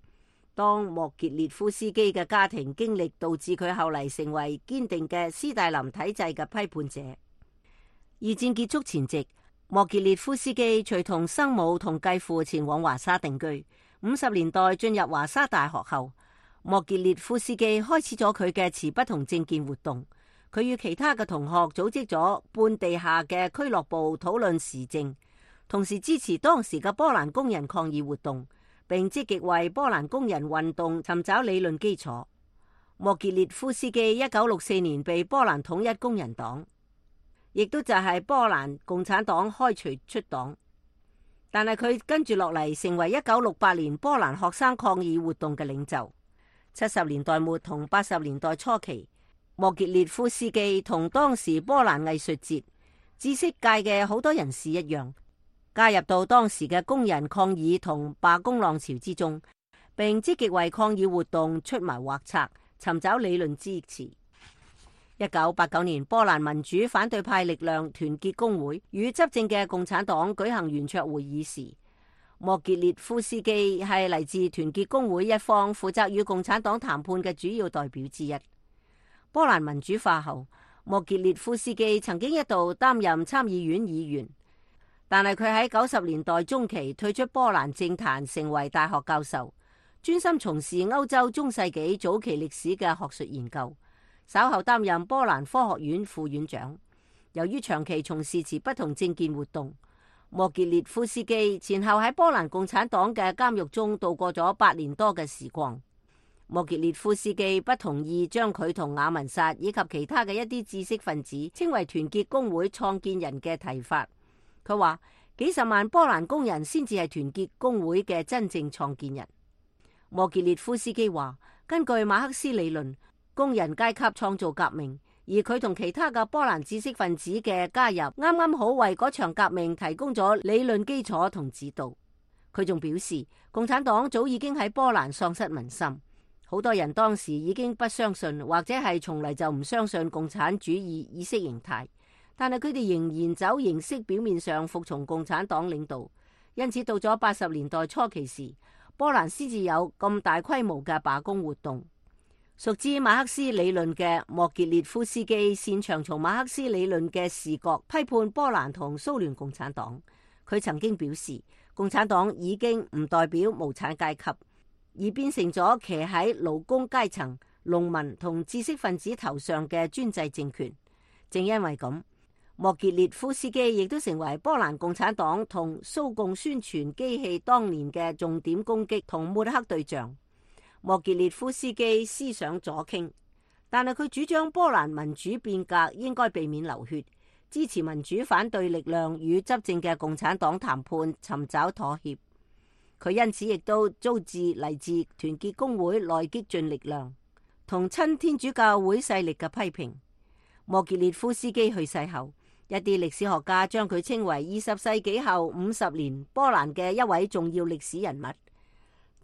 當莫傑列夫斯基嘅家庭經歷導致佢後嚟成為堅定嘅斯大林體制嘅批判者。二戰結束前夕，莫傑列夫斯基隨同生母同繼父前往華沙定居。五十年代進入華沙大學後，莫傑列夫斯基開始咗佢嘅持不同政見活動。佢與其他嘅同學組織咗半地下嘅俱樂部討論時政，同時支持當時嘅波蘭工人抗議活動，並積極為波蘭工人運動尋找理論基礎。莫傑列夫斯基一九六四年被波蘭統一工人黨，亦都就係波蘭共產黨開除出黨，但係佢跟住落嚟成為一九六八年波蘭學生抗議活動嘅領袖。七十年代末同八十年代初期，莫傑列夫斯基同當時波蘭藝術節、知識界嘅好多人士一樣，加入到當時嘅工人抗議同罷工浪潮之中，並積極為抗議活動出謀劃策，尋找理論支持。一九八九年，波蘭民主反對派力量團結工會與執政嘅共產黨舉行圓桌會議時，莫傑列夫斯基係嚟自團結工會一方負責與共產黨談判嘅主要代表之一。波蘭民主化後，莫傑列夫斯基曾經一度擔任參議院議員，但係佢喺九十年代中期退出波蘭政壇，成為大學教授，專心從事歐洲中世紀早期歷史嘅學術研究。稍後擔任波蘭科學院副院長。由於長期從事持不同政見活動，莫傑列夫斯基前後喺波蘭共產黨嘅監獄中度過咗八年多嘅時光。莫傑列夫斯基不同意將佢同雅文薩以及其他嘅一啲知識分子稱為團結工會創建人嘅提法。佢話幾十萬波蘭工人先至係團結工會嘅真正創建人。莫傑列夫斯基話，根據馬克思理論，工人階級創造革命，而佢同其他嘅波蘭知識分子嘅加入，啱啱好為嗰場革命提供咗理論基礎同指導。佢仲表示，共產黨早已經喺波蘭喪失民心，好多人當時已經不相信，或者係從嚟就唔相信共產主義意識形態，但係佢哋仍然走形式表面上服從共產黨領導。因此到咗八十年代初期時，波蘭先至有咁大規模嘅罷工活動。熟知馬克思理論嘅莫傑列夫斯基擅長從馬克思理論嘅視角批判波蘭同蘇聯共產黨。佢曾經表示，共產黨已經唔代表無產階級，而變成咗騎喺勞工階層、農民同知識分子頭上嘅專制政權。正因為咁，莫傑列夫斯基亦都成為波蘭共產黨同蘇共宣傳機器當年嘅重點攻擊同抹黑對象。莫傑列夫斯基思想左傾，但係佢主張波蘭民主變革應該避免流血，支持民主反對力量與執政嘅共產黨談判，尋找妥協。佢因此亦都遭致嚟自團結工會內激進力量同親天主教會勢力嘅批評。莫傑列夫斯基去世後，一啲歷史學家將佢稱為二十世紀後五十年波蘭嘅一位重要歷史人物。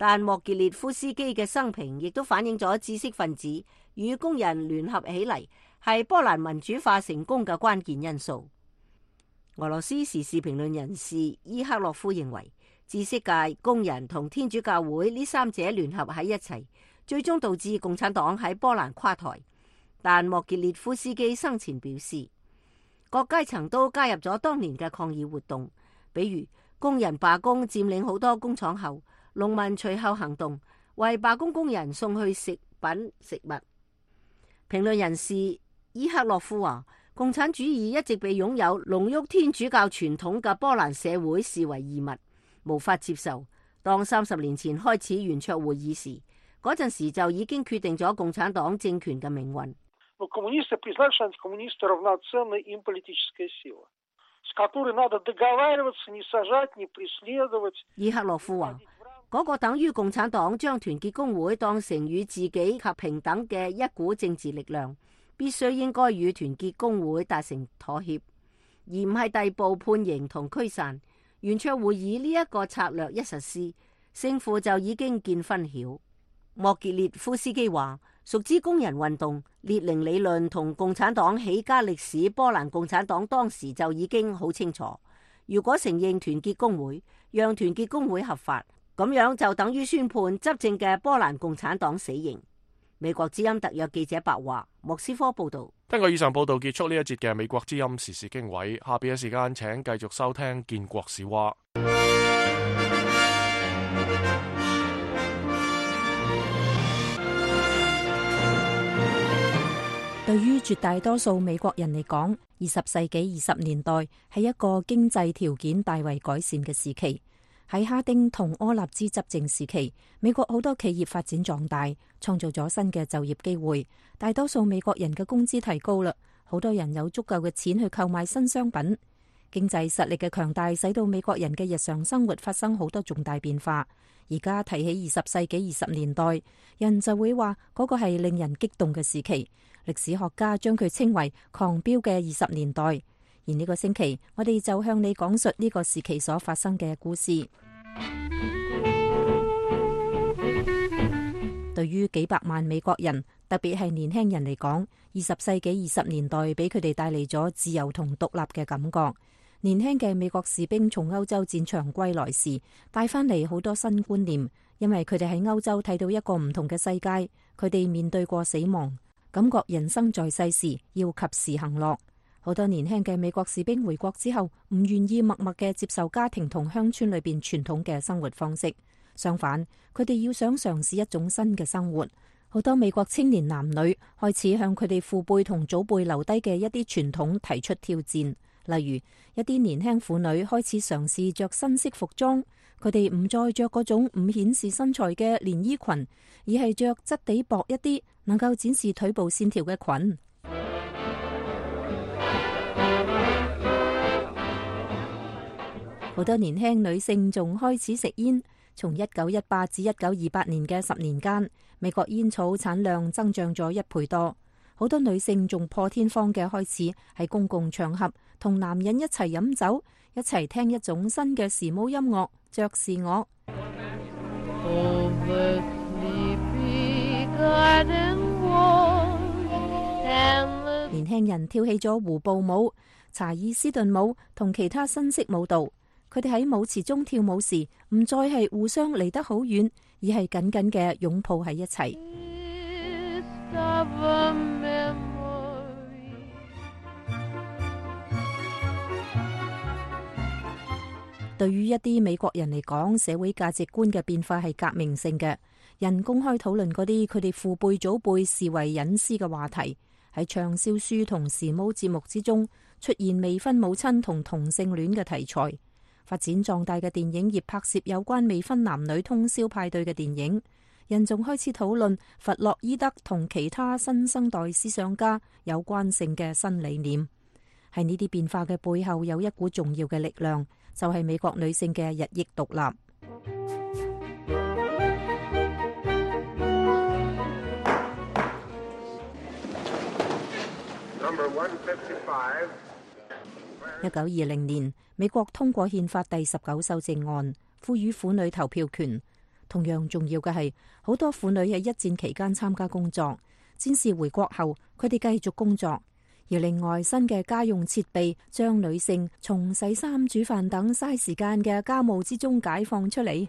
但莫傑列夫斯基嘅生平亦都反映咗知識分子與工人聯合起嚟係波蘭民主化成功嘅關鍵因素。俄羅斯時事評論人士伊克洛夫認為，知識界、工人同天主教會呢三者聯合喺一齊，最終導致共產黨喺波蘭垮台。但莫傑列夫斯基生前表示，各階層都加入咗當年嘅抗議活動，比如工人罷工佔領好多工廠後，農民隨後行動，為罷工工人送去食品食物。評論人士伊克洛夫話，共產主義一直被擁有濃郁天主教傳統嘅波蘭社會視為異物，無法接受。當三十年前開始圓桌會議時，嗰陣時就已經決定咗共產黨政權嘅命運。伊克洛夫話，嗰個等於共產黨將團結工會當成與自己及平等嘅一股政治力量，必須應該與團結工會達成妥協，而唔係逮捕判刑同驅散。圓桌會議呢一個策略一實施，勝負就已經見分曉。莫傑列夫斯基話，熟知工人運動、列寧理論同共產黨起家歷史，波蘭共產黨當時就已經好清楚。如果承認團結工會，讓團結工會合法，咁樣就等於宣判執政嘅波蘭共產黨死刑。美國之音特約記者白華，莫斯科報道。根據以上報道結束呢一節嘅美國之音時事經緯，下邊嘅時間請繼續收聽建國史話。對於絕大多數美國人嚟講，二十世紀二十年代係一個經濟條件大為改善嘅時期。喺哈丁同柯納茲執政時期，美國好多企業發展壯大，創造咗新嘅就業機會。大多數美國人嘅工資提高啦，好多人有足夠嘅錢去購買新商品。經濟實力嘅強大，使到美國人嘅日常生活發生好多重大變化。而家提起二十世紀二十年代，人就會話嗰個係令人激動嘅時期。歷史學家將佢稱為狂飆嘅二十年代。而呢個星期，我哋就向你講述呢個時期所發生嘅故事。對於幾百萬美國人，特別係年輕人嚟講，二十世紀二十年代俾佢哋帶嚟咗自由同獨立嘅感覺。年輕嘅美國士兵從歐洲戰場歸來時，帶翻嚟好多新觀念，因為佢哋喺歐洲睇到一個唔同嘅世界，佢哋面對過死亡，感覺人生在世時要及時行樂。好多年輕嘅美國士兵回國之後，唔願意默默嘅接受家庭同鄉村裏邊傳統嘅生活方式，相反，佢哋要想嘗試一種新嘅生活。好多美國青年男女開始向佢哋父輩同祖輩留低嘅一啲傳統提出挑戰，例如一啲年輕婦女開始嘗試着新式服裝，佢哋唔再着嗰種唔顯示身材嘅連衣裙，而係着質地薄一啲，能夠展示腿部線條嘅裙。好多年輕女性仲開始食煙。從一九一八至一九二八年嘅十年間，美國煙草產量增長咗一倍多。好多女性仲破天荒嘅開始喺公共場合同男人一齊飲酒，一齊聽一種新嘅時髦音樂爵士樂。年輕人跳起咗湖步舞、查爾斯頓舞同其他新式舞蹈。佢哋喺舞池中跳舞時，唔再係互相離得好遠，而係緊緊嘅擁抱喺一齊。對於一啲美國人嚟講，社會價值觀嘅變化係革命性嘅。人公開討論嗰啲佢哋父輩祖輩視為隱私嘅話題，喺暢銷書同時髦節目之中出現未婚母親同同性戀嘅題材。發展壯大嘅電影業拍攝有關未婚男女通宵派對嘅電影，人仲開始討論弗洛伊德同其他新生代思想家有關性嘅新理念。喺呢啲變化嘅背後，有一股重要嘅力量，就係美國女性嘅日益獨立。一九二零年，美國通過憲法第十九修正案，賦予婦女投票權。同樣重要嘅係，好多婦女喺一戰期間參加工作，戰士回國後，佢哋繼續工作。而另外，新嘅家用設備將女性從洗衫、煮飯等嘥時間嘅家務之中解放出嚟。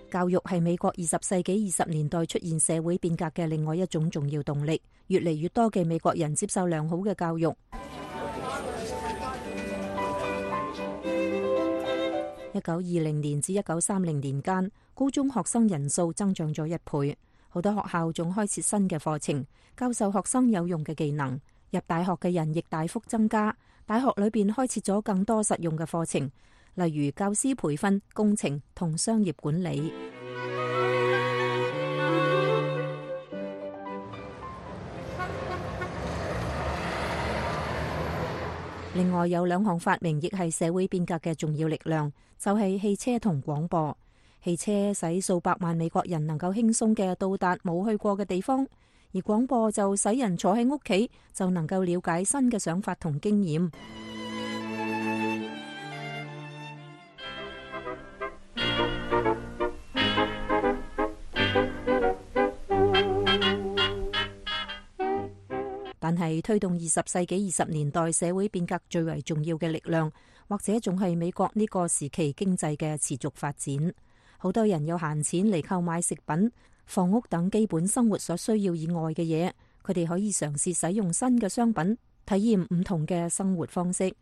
教育係美國二十世紀二十年代出現社會變革嘅另外一種重要動力。越嚟越多嘅美國人接受良好嘅教育。一九二零年至一九三零年間，高中學生人數增長咗一倍。好多學校仲開設新嘅課程，教授學生有用嘅技能。入大學嘅人亦大幅增加。大學裏邊開設咗更多實用嘅課程，例如教師培訓、工程同商業管理。另外有兩項發明亦係社會變革嘅重要力量，就係汽車同廣播。汽車使數百萬美國人能夠輕鬆嘅到達冇去過嘅地方，而廣播就使人坐喺屋企就能夠了解新嘅想法同經驗。但係推動二十世紀二十年代社會變革最為重要嘅力量，或者仲係美國呢個時期經濟嘅持續發展。好多人有閒錢嚟購買食品、房屋等基本生活所需要以外嘅嘢，佢哋可以嘗試使用新嘅商品，體驗唔同嘅生活方式。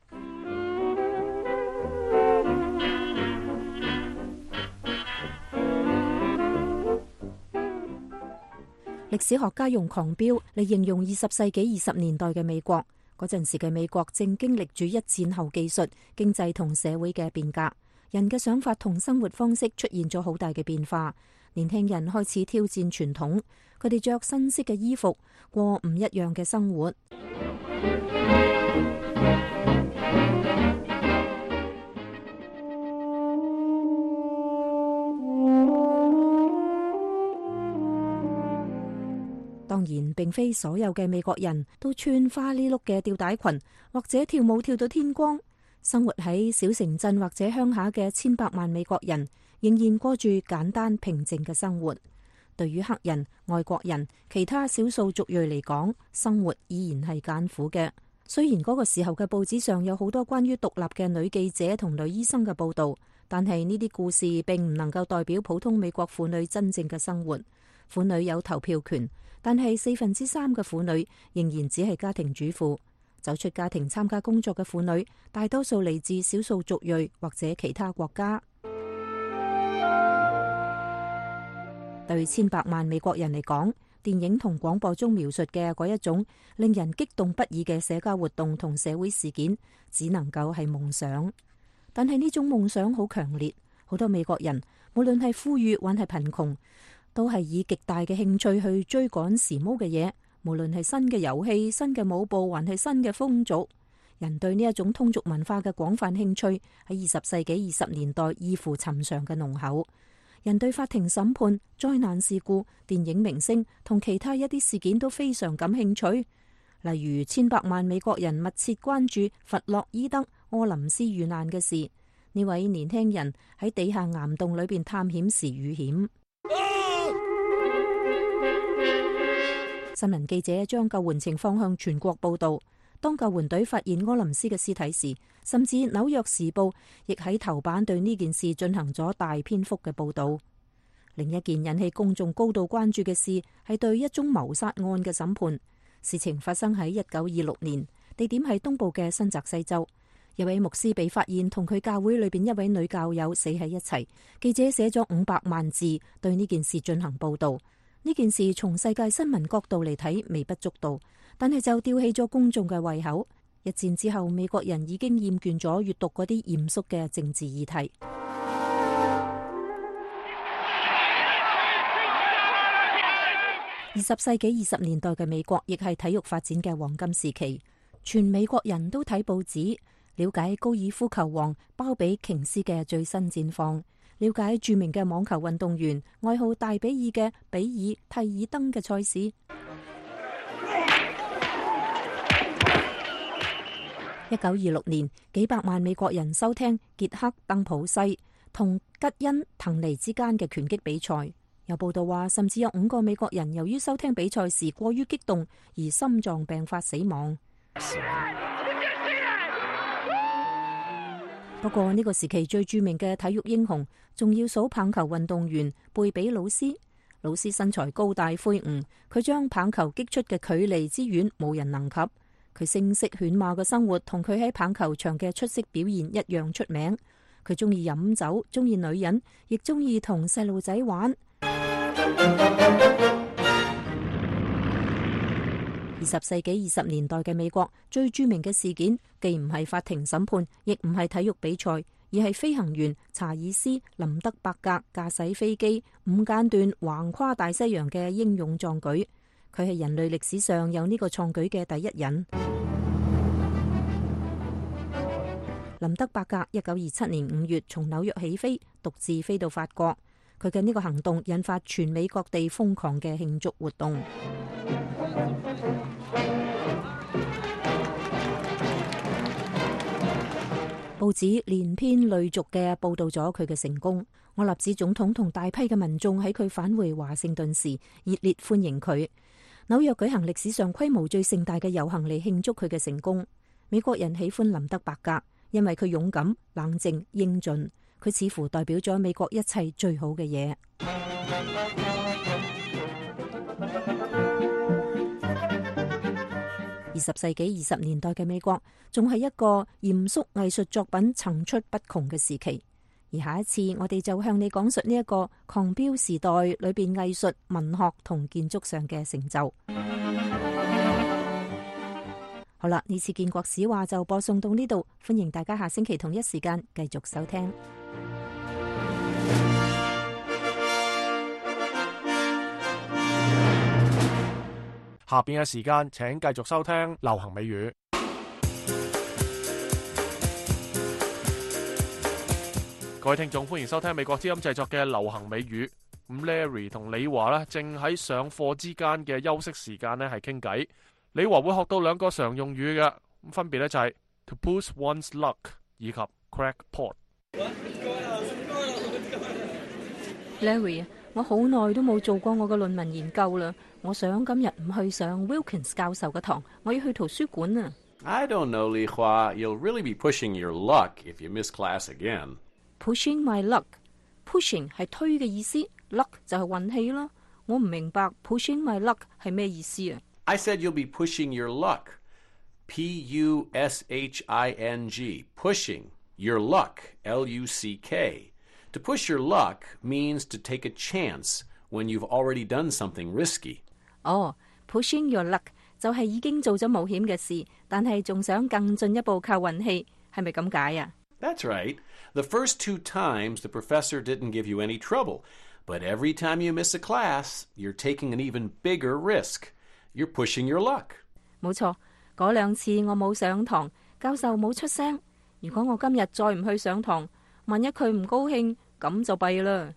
歷史學家用狂飆嚟形容二十世紀二十年代嘅美國。嗰陣時嘅美國正經歷住一戰後技術、經濟同社會嘅變革，人嘅想法同生活方式出現咗好大嘅變化。年輕人開始挑戰傳統，佢哋着新式嘅衣服，過唔一樣嘅生活。當然，並非所有嘅美國人都穿花呢碌嘅吊帶裙，或者跳舞跳到天光。生活喺小城鎮或者鄉下嘅千百萬美國人，仍然過住簡單平靜嘅生活。對於黑人、外國人、其他少數族裔嚟講，生活依然係艱苦嘅。雖然嗰個時候嘅報紙上有好多關於獨立嘅女記者同女醫生嘅報道，但係呢啲故事並唔能夠代表普通美國婦女真正嘅生活。婦女有投票權，但係四分之三嘅婦女仍然只係家庭主婦。走出家庭參加工作嘅婦女，大多數嚟自少數族裔或者其他國家。對千百萬美國人嚟講，電影同廣播中描述嘅嗰一種令人激動不已嘅社交活動同社會事件，只能夠係夢想。但係呢種夢想好強烈，好多美國人無論係富裕還係貧窮，都係以極大嘅興趣去追趕時髦嘅嘢，無論係新嘅遊戲、新嘅舞步，還係新嘅風俗。人對呢一種通俗文化嘅廣泛興趣喺二十世紀二十年代異乎尋常嘅濃厚。人對法庭審判、災難事故、電影明星同其他一啲事件都非常感興趣。例如，千百萬美國人密切關注弗洛伊德·柯林斯遇難嘅事。呢位年輕人喺地下岩洞裏邊探險時遇險。新聞記者將救援情況向全國報道。當救援隊發現柯林斯嘅屍體時，甚至紐約時報亦喺頭版對呢件事進行咗大篇幅嘅報道。另一件引起公眾高度關注嘅事係對一宗謀殺案嘅審判。事情發生喺一九二六年，地點係東部嘅新澤西州。一位牧師被發現同佢教會裏邊一位女教友死喺一齊。記者寫咗五百萬字對呢件事進行報道。呢件事從世界新聞角度嚟睇微不足道，但係就吊起咗公眾嘅胃口。一戰之後，美國人已經厭倦咗閱讀嗰啲嚴肅嘅政治議題。二十世紀二十年代嘅美國亦係體育發展嘅黃金時期，全美國人都睇報紙，了解高爾夫球王鮑比瓊斯嘅最新戰況，了解著名嘅網球運動員愛好大比爾嘅比爾蒂爾登嘅賽事。一九二六年，幾百萬美國人收聽傑克鄧普西同吉恩滕尼之間嘅拳擊比賽。有報道話，甚至有五個美國人由於收聽比賽時過於激動而心臟病發死亡。不過呢個時期最著名嘅體育英雄，仲要數棒球運動員貝比魯斯。魯斯身材高大魁梧，佢將棒球擊出嘅距離之遠，冇人能及。佢聲色犬馬嘅生活同佢喺棒球場嘅出色表現一樣出名。佢中意飲酒，中意女人，亦中意同細路仔玩。二十世紀二十年代嘅美國最著名嘅事件，既唔係法庭審判，亦唔係體育比賽，而係飛行員查爾斯林德伯格駕駛飛機五間斷橫跨大西洋嘅英勇壯舉。佢係人類歷史上有呢個創舉嘅第一人。林德伯格一九二七年五月從紐約起飛，獨自飛到法國。佢嘅呢個行動引發全美各地瘋狂嘅慶祝活動。報紙連篇累續嘅報道咗佢嘅成功。我立茲總統同大批嘅民眾喺佢返回華盛頓時熱烈歡迎佢。紐約舉行歷史上規模最盛大嘅遊行嚟慶祝佢嘅成功。美國人喜歡林德伯格，因為佢勇敢、冷靜、英俊。佢似乎代表咗美國一切最好嘅嘢。二十世紀二十年代嘅美國仲係一個嚴肅藝術作品層出不窮嘅時期。而下一次我哋就向你講述呢一個狂飆時代裏邊藝術、文學同建築上嘅成就。好啦，呢次建國史話就播送到呢度，歡迎大家下星期同一時間繼續收聽。下邊嘅時間，請繼續收聽流行美語。各位聽眾，歡迎收聽美國之音製作嘅流行美語。咁 Larry 同李華呢，正喺上課之間嘅休息時間呢，係傾偈。李華會學到兩個常用語嘅，咁分別呢就係 to push one's luck 以及 crackpot。Larry， 我好耐都冇做過我嘅論文研究啦。我想今日唔去上 Wilkins 教授嘅堂，我要去圖書館啊。I don't know, Li Hua. You'll really be pushing your luck if you miss class again. Pushing my luck. Pushing 係推嘅意思 ，luck 就係運氣啦。我唔明白 pushing my luck 係咩意思啊？ I said you'll be pushing your luck. P U S H I N G, pushing, your luck, L U C K. To push your luck means to take a chance when you've already done something risky. 哦、oh, pushing your luck 就係已經做咗冒險嘅事，但係仲想更進一步靠運氣，係咪咁解啊？ That's right. The first two times the professor didn't give you any trouble, but every time you miss a class, you're taking an even bigger risk. You're pushing your luck. 冇錯，嗰兩次我冇上堂，教授冇出聲。如果我今日再唔去上堂，萬一佢唔高興，咁就弊啦。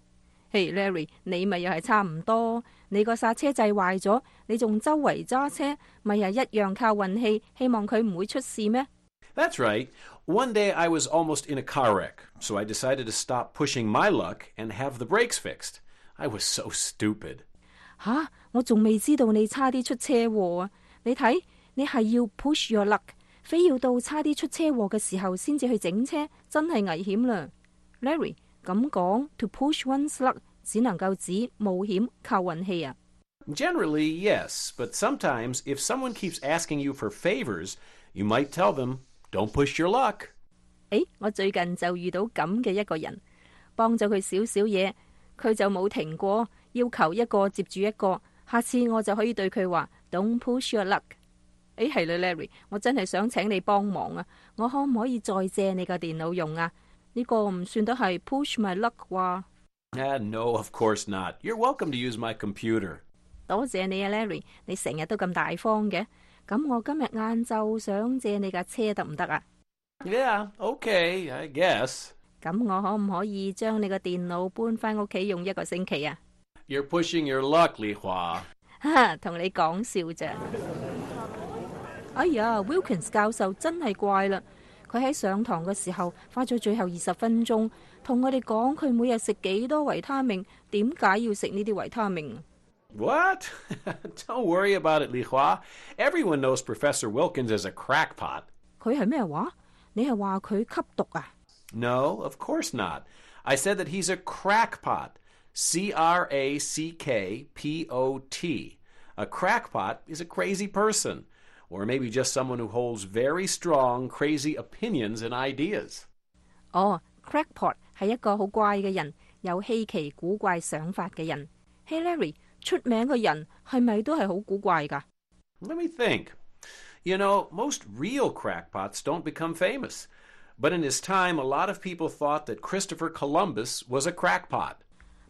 嘿、hey, Larry， 你咪又係差唔多，你個剎車掣壞咗，你仲周圍揸車，咪又一樣靠運氣，希望佢唔會出事咩？ That's right. One day I was almost in a car wreck, so I decided to stop pushing my luck and have the brakes fixed. I was so stupid. 吓，我仲未知道你差啲出車禍啊！你睇，你係要 push your luck， 非要到差啲出車禍嘅時候先至去整車，真係危險啦。Larry， 咁講 to push one's luck 只能夠指冒險靠運氣啊。Generally, yes, but sometimes if someone keeps asking you for favors, you might tell them, don't push your luck. 誒，我最近就遇到咁嘅一個人，幫咗佢少少嘢，佢就冇停過，要求一個接住一個。下次我就可以對佢話 Don't push your luck。誒係啦 ，Larry， 我真係想請你幫忙啊！我可唔可以再借你個電腦用啊？呢個唔算得係 push my luck 啩？ Ah, no, of course not. You're welcome to use my computer. 多謝你啊 ，Larry， 你成日都咁大方嘅。咁我今日晏晝想借你架車得唔得啊？ Yeah, okay, I guess. 咁我可唔可以將你個電腦搬返屋企用一個星期啊？ You're pushing your luck, Li Hua. 哈，同你講笑咋？哎呀 ，Wilkins 教授真係怪啦！佢喺上堂嘅時候花咗最後二十分鐘，同我哋講佢每日食幾多維他命，點解要食呢啲維他命？ What? Don't worry about it, Li Hua. Everyone knows Professor Wilkins is a crackpot. 佢係咩話？你係話佢吸毒啊？ No, of course not. I said that he's a crackpot. C R A C K P O T. A crackpot is a crazy person, or maybe just someone who holds very strong, crazy opinions and ideas. 哦、oh, crackpot 係一個好怪嘅人，有稀奇古怪想法嘅人。Hey Larry， 出名嘅人係咪都係好古怪㗎？ Let me think. You know, most real crackpots don't become famous. But in his time, a lot of people thought that Christopher Columbus was a crackpot.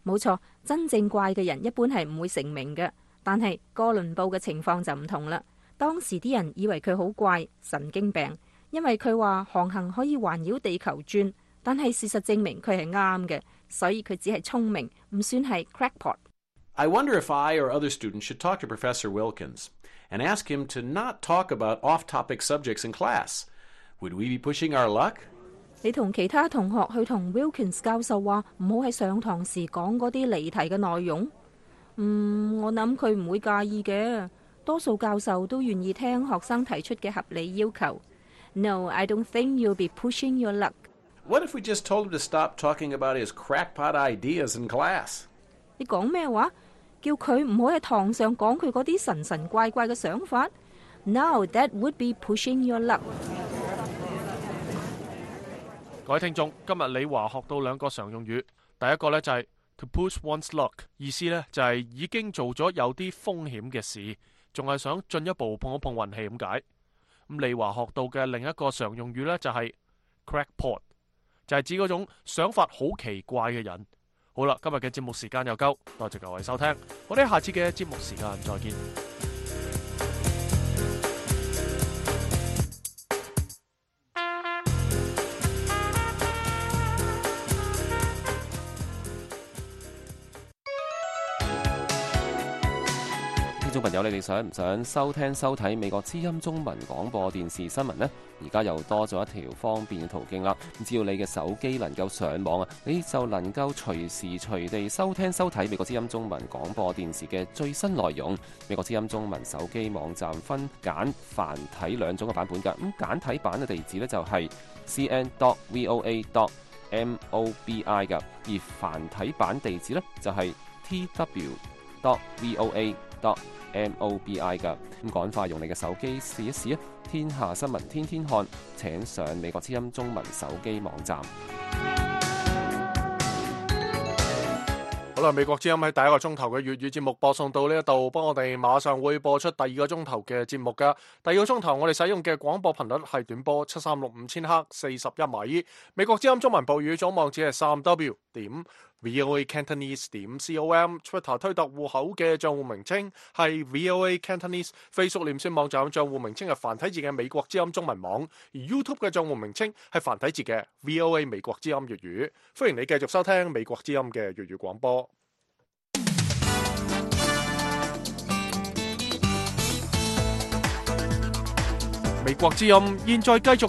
冇錯，真正怪嘅人一般係唔會成名嘅。但係哥倫布嘅情況就唔同啦。當時啲人以為佢好怪，神經病，因為佢話航行可以環繞地球轉，但係事實證明佢係啱嘅，所以佢只係聰明，唔算係 crackpot。 I wonder if I or other students should talk to Professor Wilkins and ask him to not talk about off-topic subjects in class. Would we be pushing our luck? 你同其他同學去同 Wilkins 教授話唔好喺上堂時講嗰啲離題嘅內容。嗯，我諗佢唔會介意嘅。多數教授都願意聽學生提出嘅合理要求。No, I don't think you'll be pushing your luck. What if we just told him to stop talking about his crackpot ideas in class? 你講咩話？叫佢唔好喺堂上講佢嗰啲神神怪怪嘅想法。No, that would be pushing your luck. 各位聽眾，今日李華學到兩個常用語，第一個呢就係 to push one's luck， 意思呢就係已經做咗有啲風險嘅事，仲係想進一步碰一碰運氣咁解。咁李華學到嘅另一個常用語呢就係 crackpot， 就係指嗰種想法好奇怪嘅人。好啦，今日嘅節目時間又夠，多謝各位收聽，我哋下次嘅節目時間再見。聽眾朋友，你哋想唔想收聽收睇美國之音中文廣播電視新聞呢？而家又多咗一條方便嘅途徑啦！只要你嘅手機能夠上網啊，你就能夠隨時隨地收聽收睇美國之音中文廣播電視嘅最新內容。美國之音中文手機網站分簡繁體兩種嘅版本㗎。咁簡體版嘅地址呢，就係 c n dot voa dot mobi 㗎，而繁體版地址呢，就係 t w dot voa dot mobi 噶，咁趕快用你嘅手機試一試啊！天下新聞天天看，請上美國之音中文手機網站。好啦，美國之音喺第一個鐘頭嘅粵語節目播送到呢一度，幫我哋馬上會播出第二個鐘頭嘅節目噶。第二個鐘頭我哋使用嘅廣播頻率係短波七三六五千赫四十一米。美國之音中文部語總網址係三 w 點 voa cantonese 點 com。Twitter 推特戶口嘅賬戶名稱係 voa cantonese。Facebook 臉書網站賬戶名稱係繁體字嘅美國之音中文網，而 YouTube 嘅賬戶名稱係繁體字嘅 voa 美國之音粵語。歡迎你繼續收聽美國之音嘅粵語廣播。美國之音現在繼續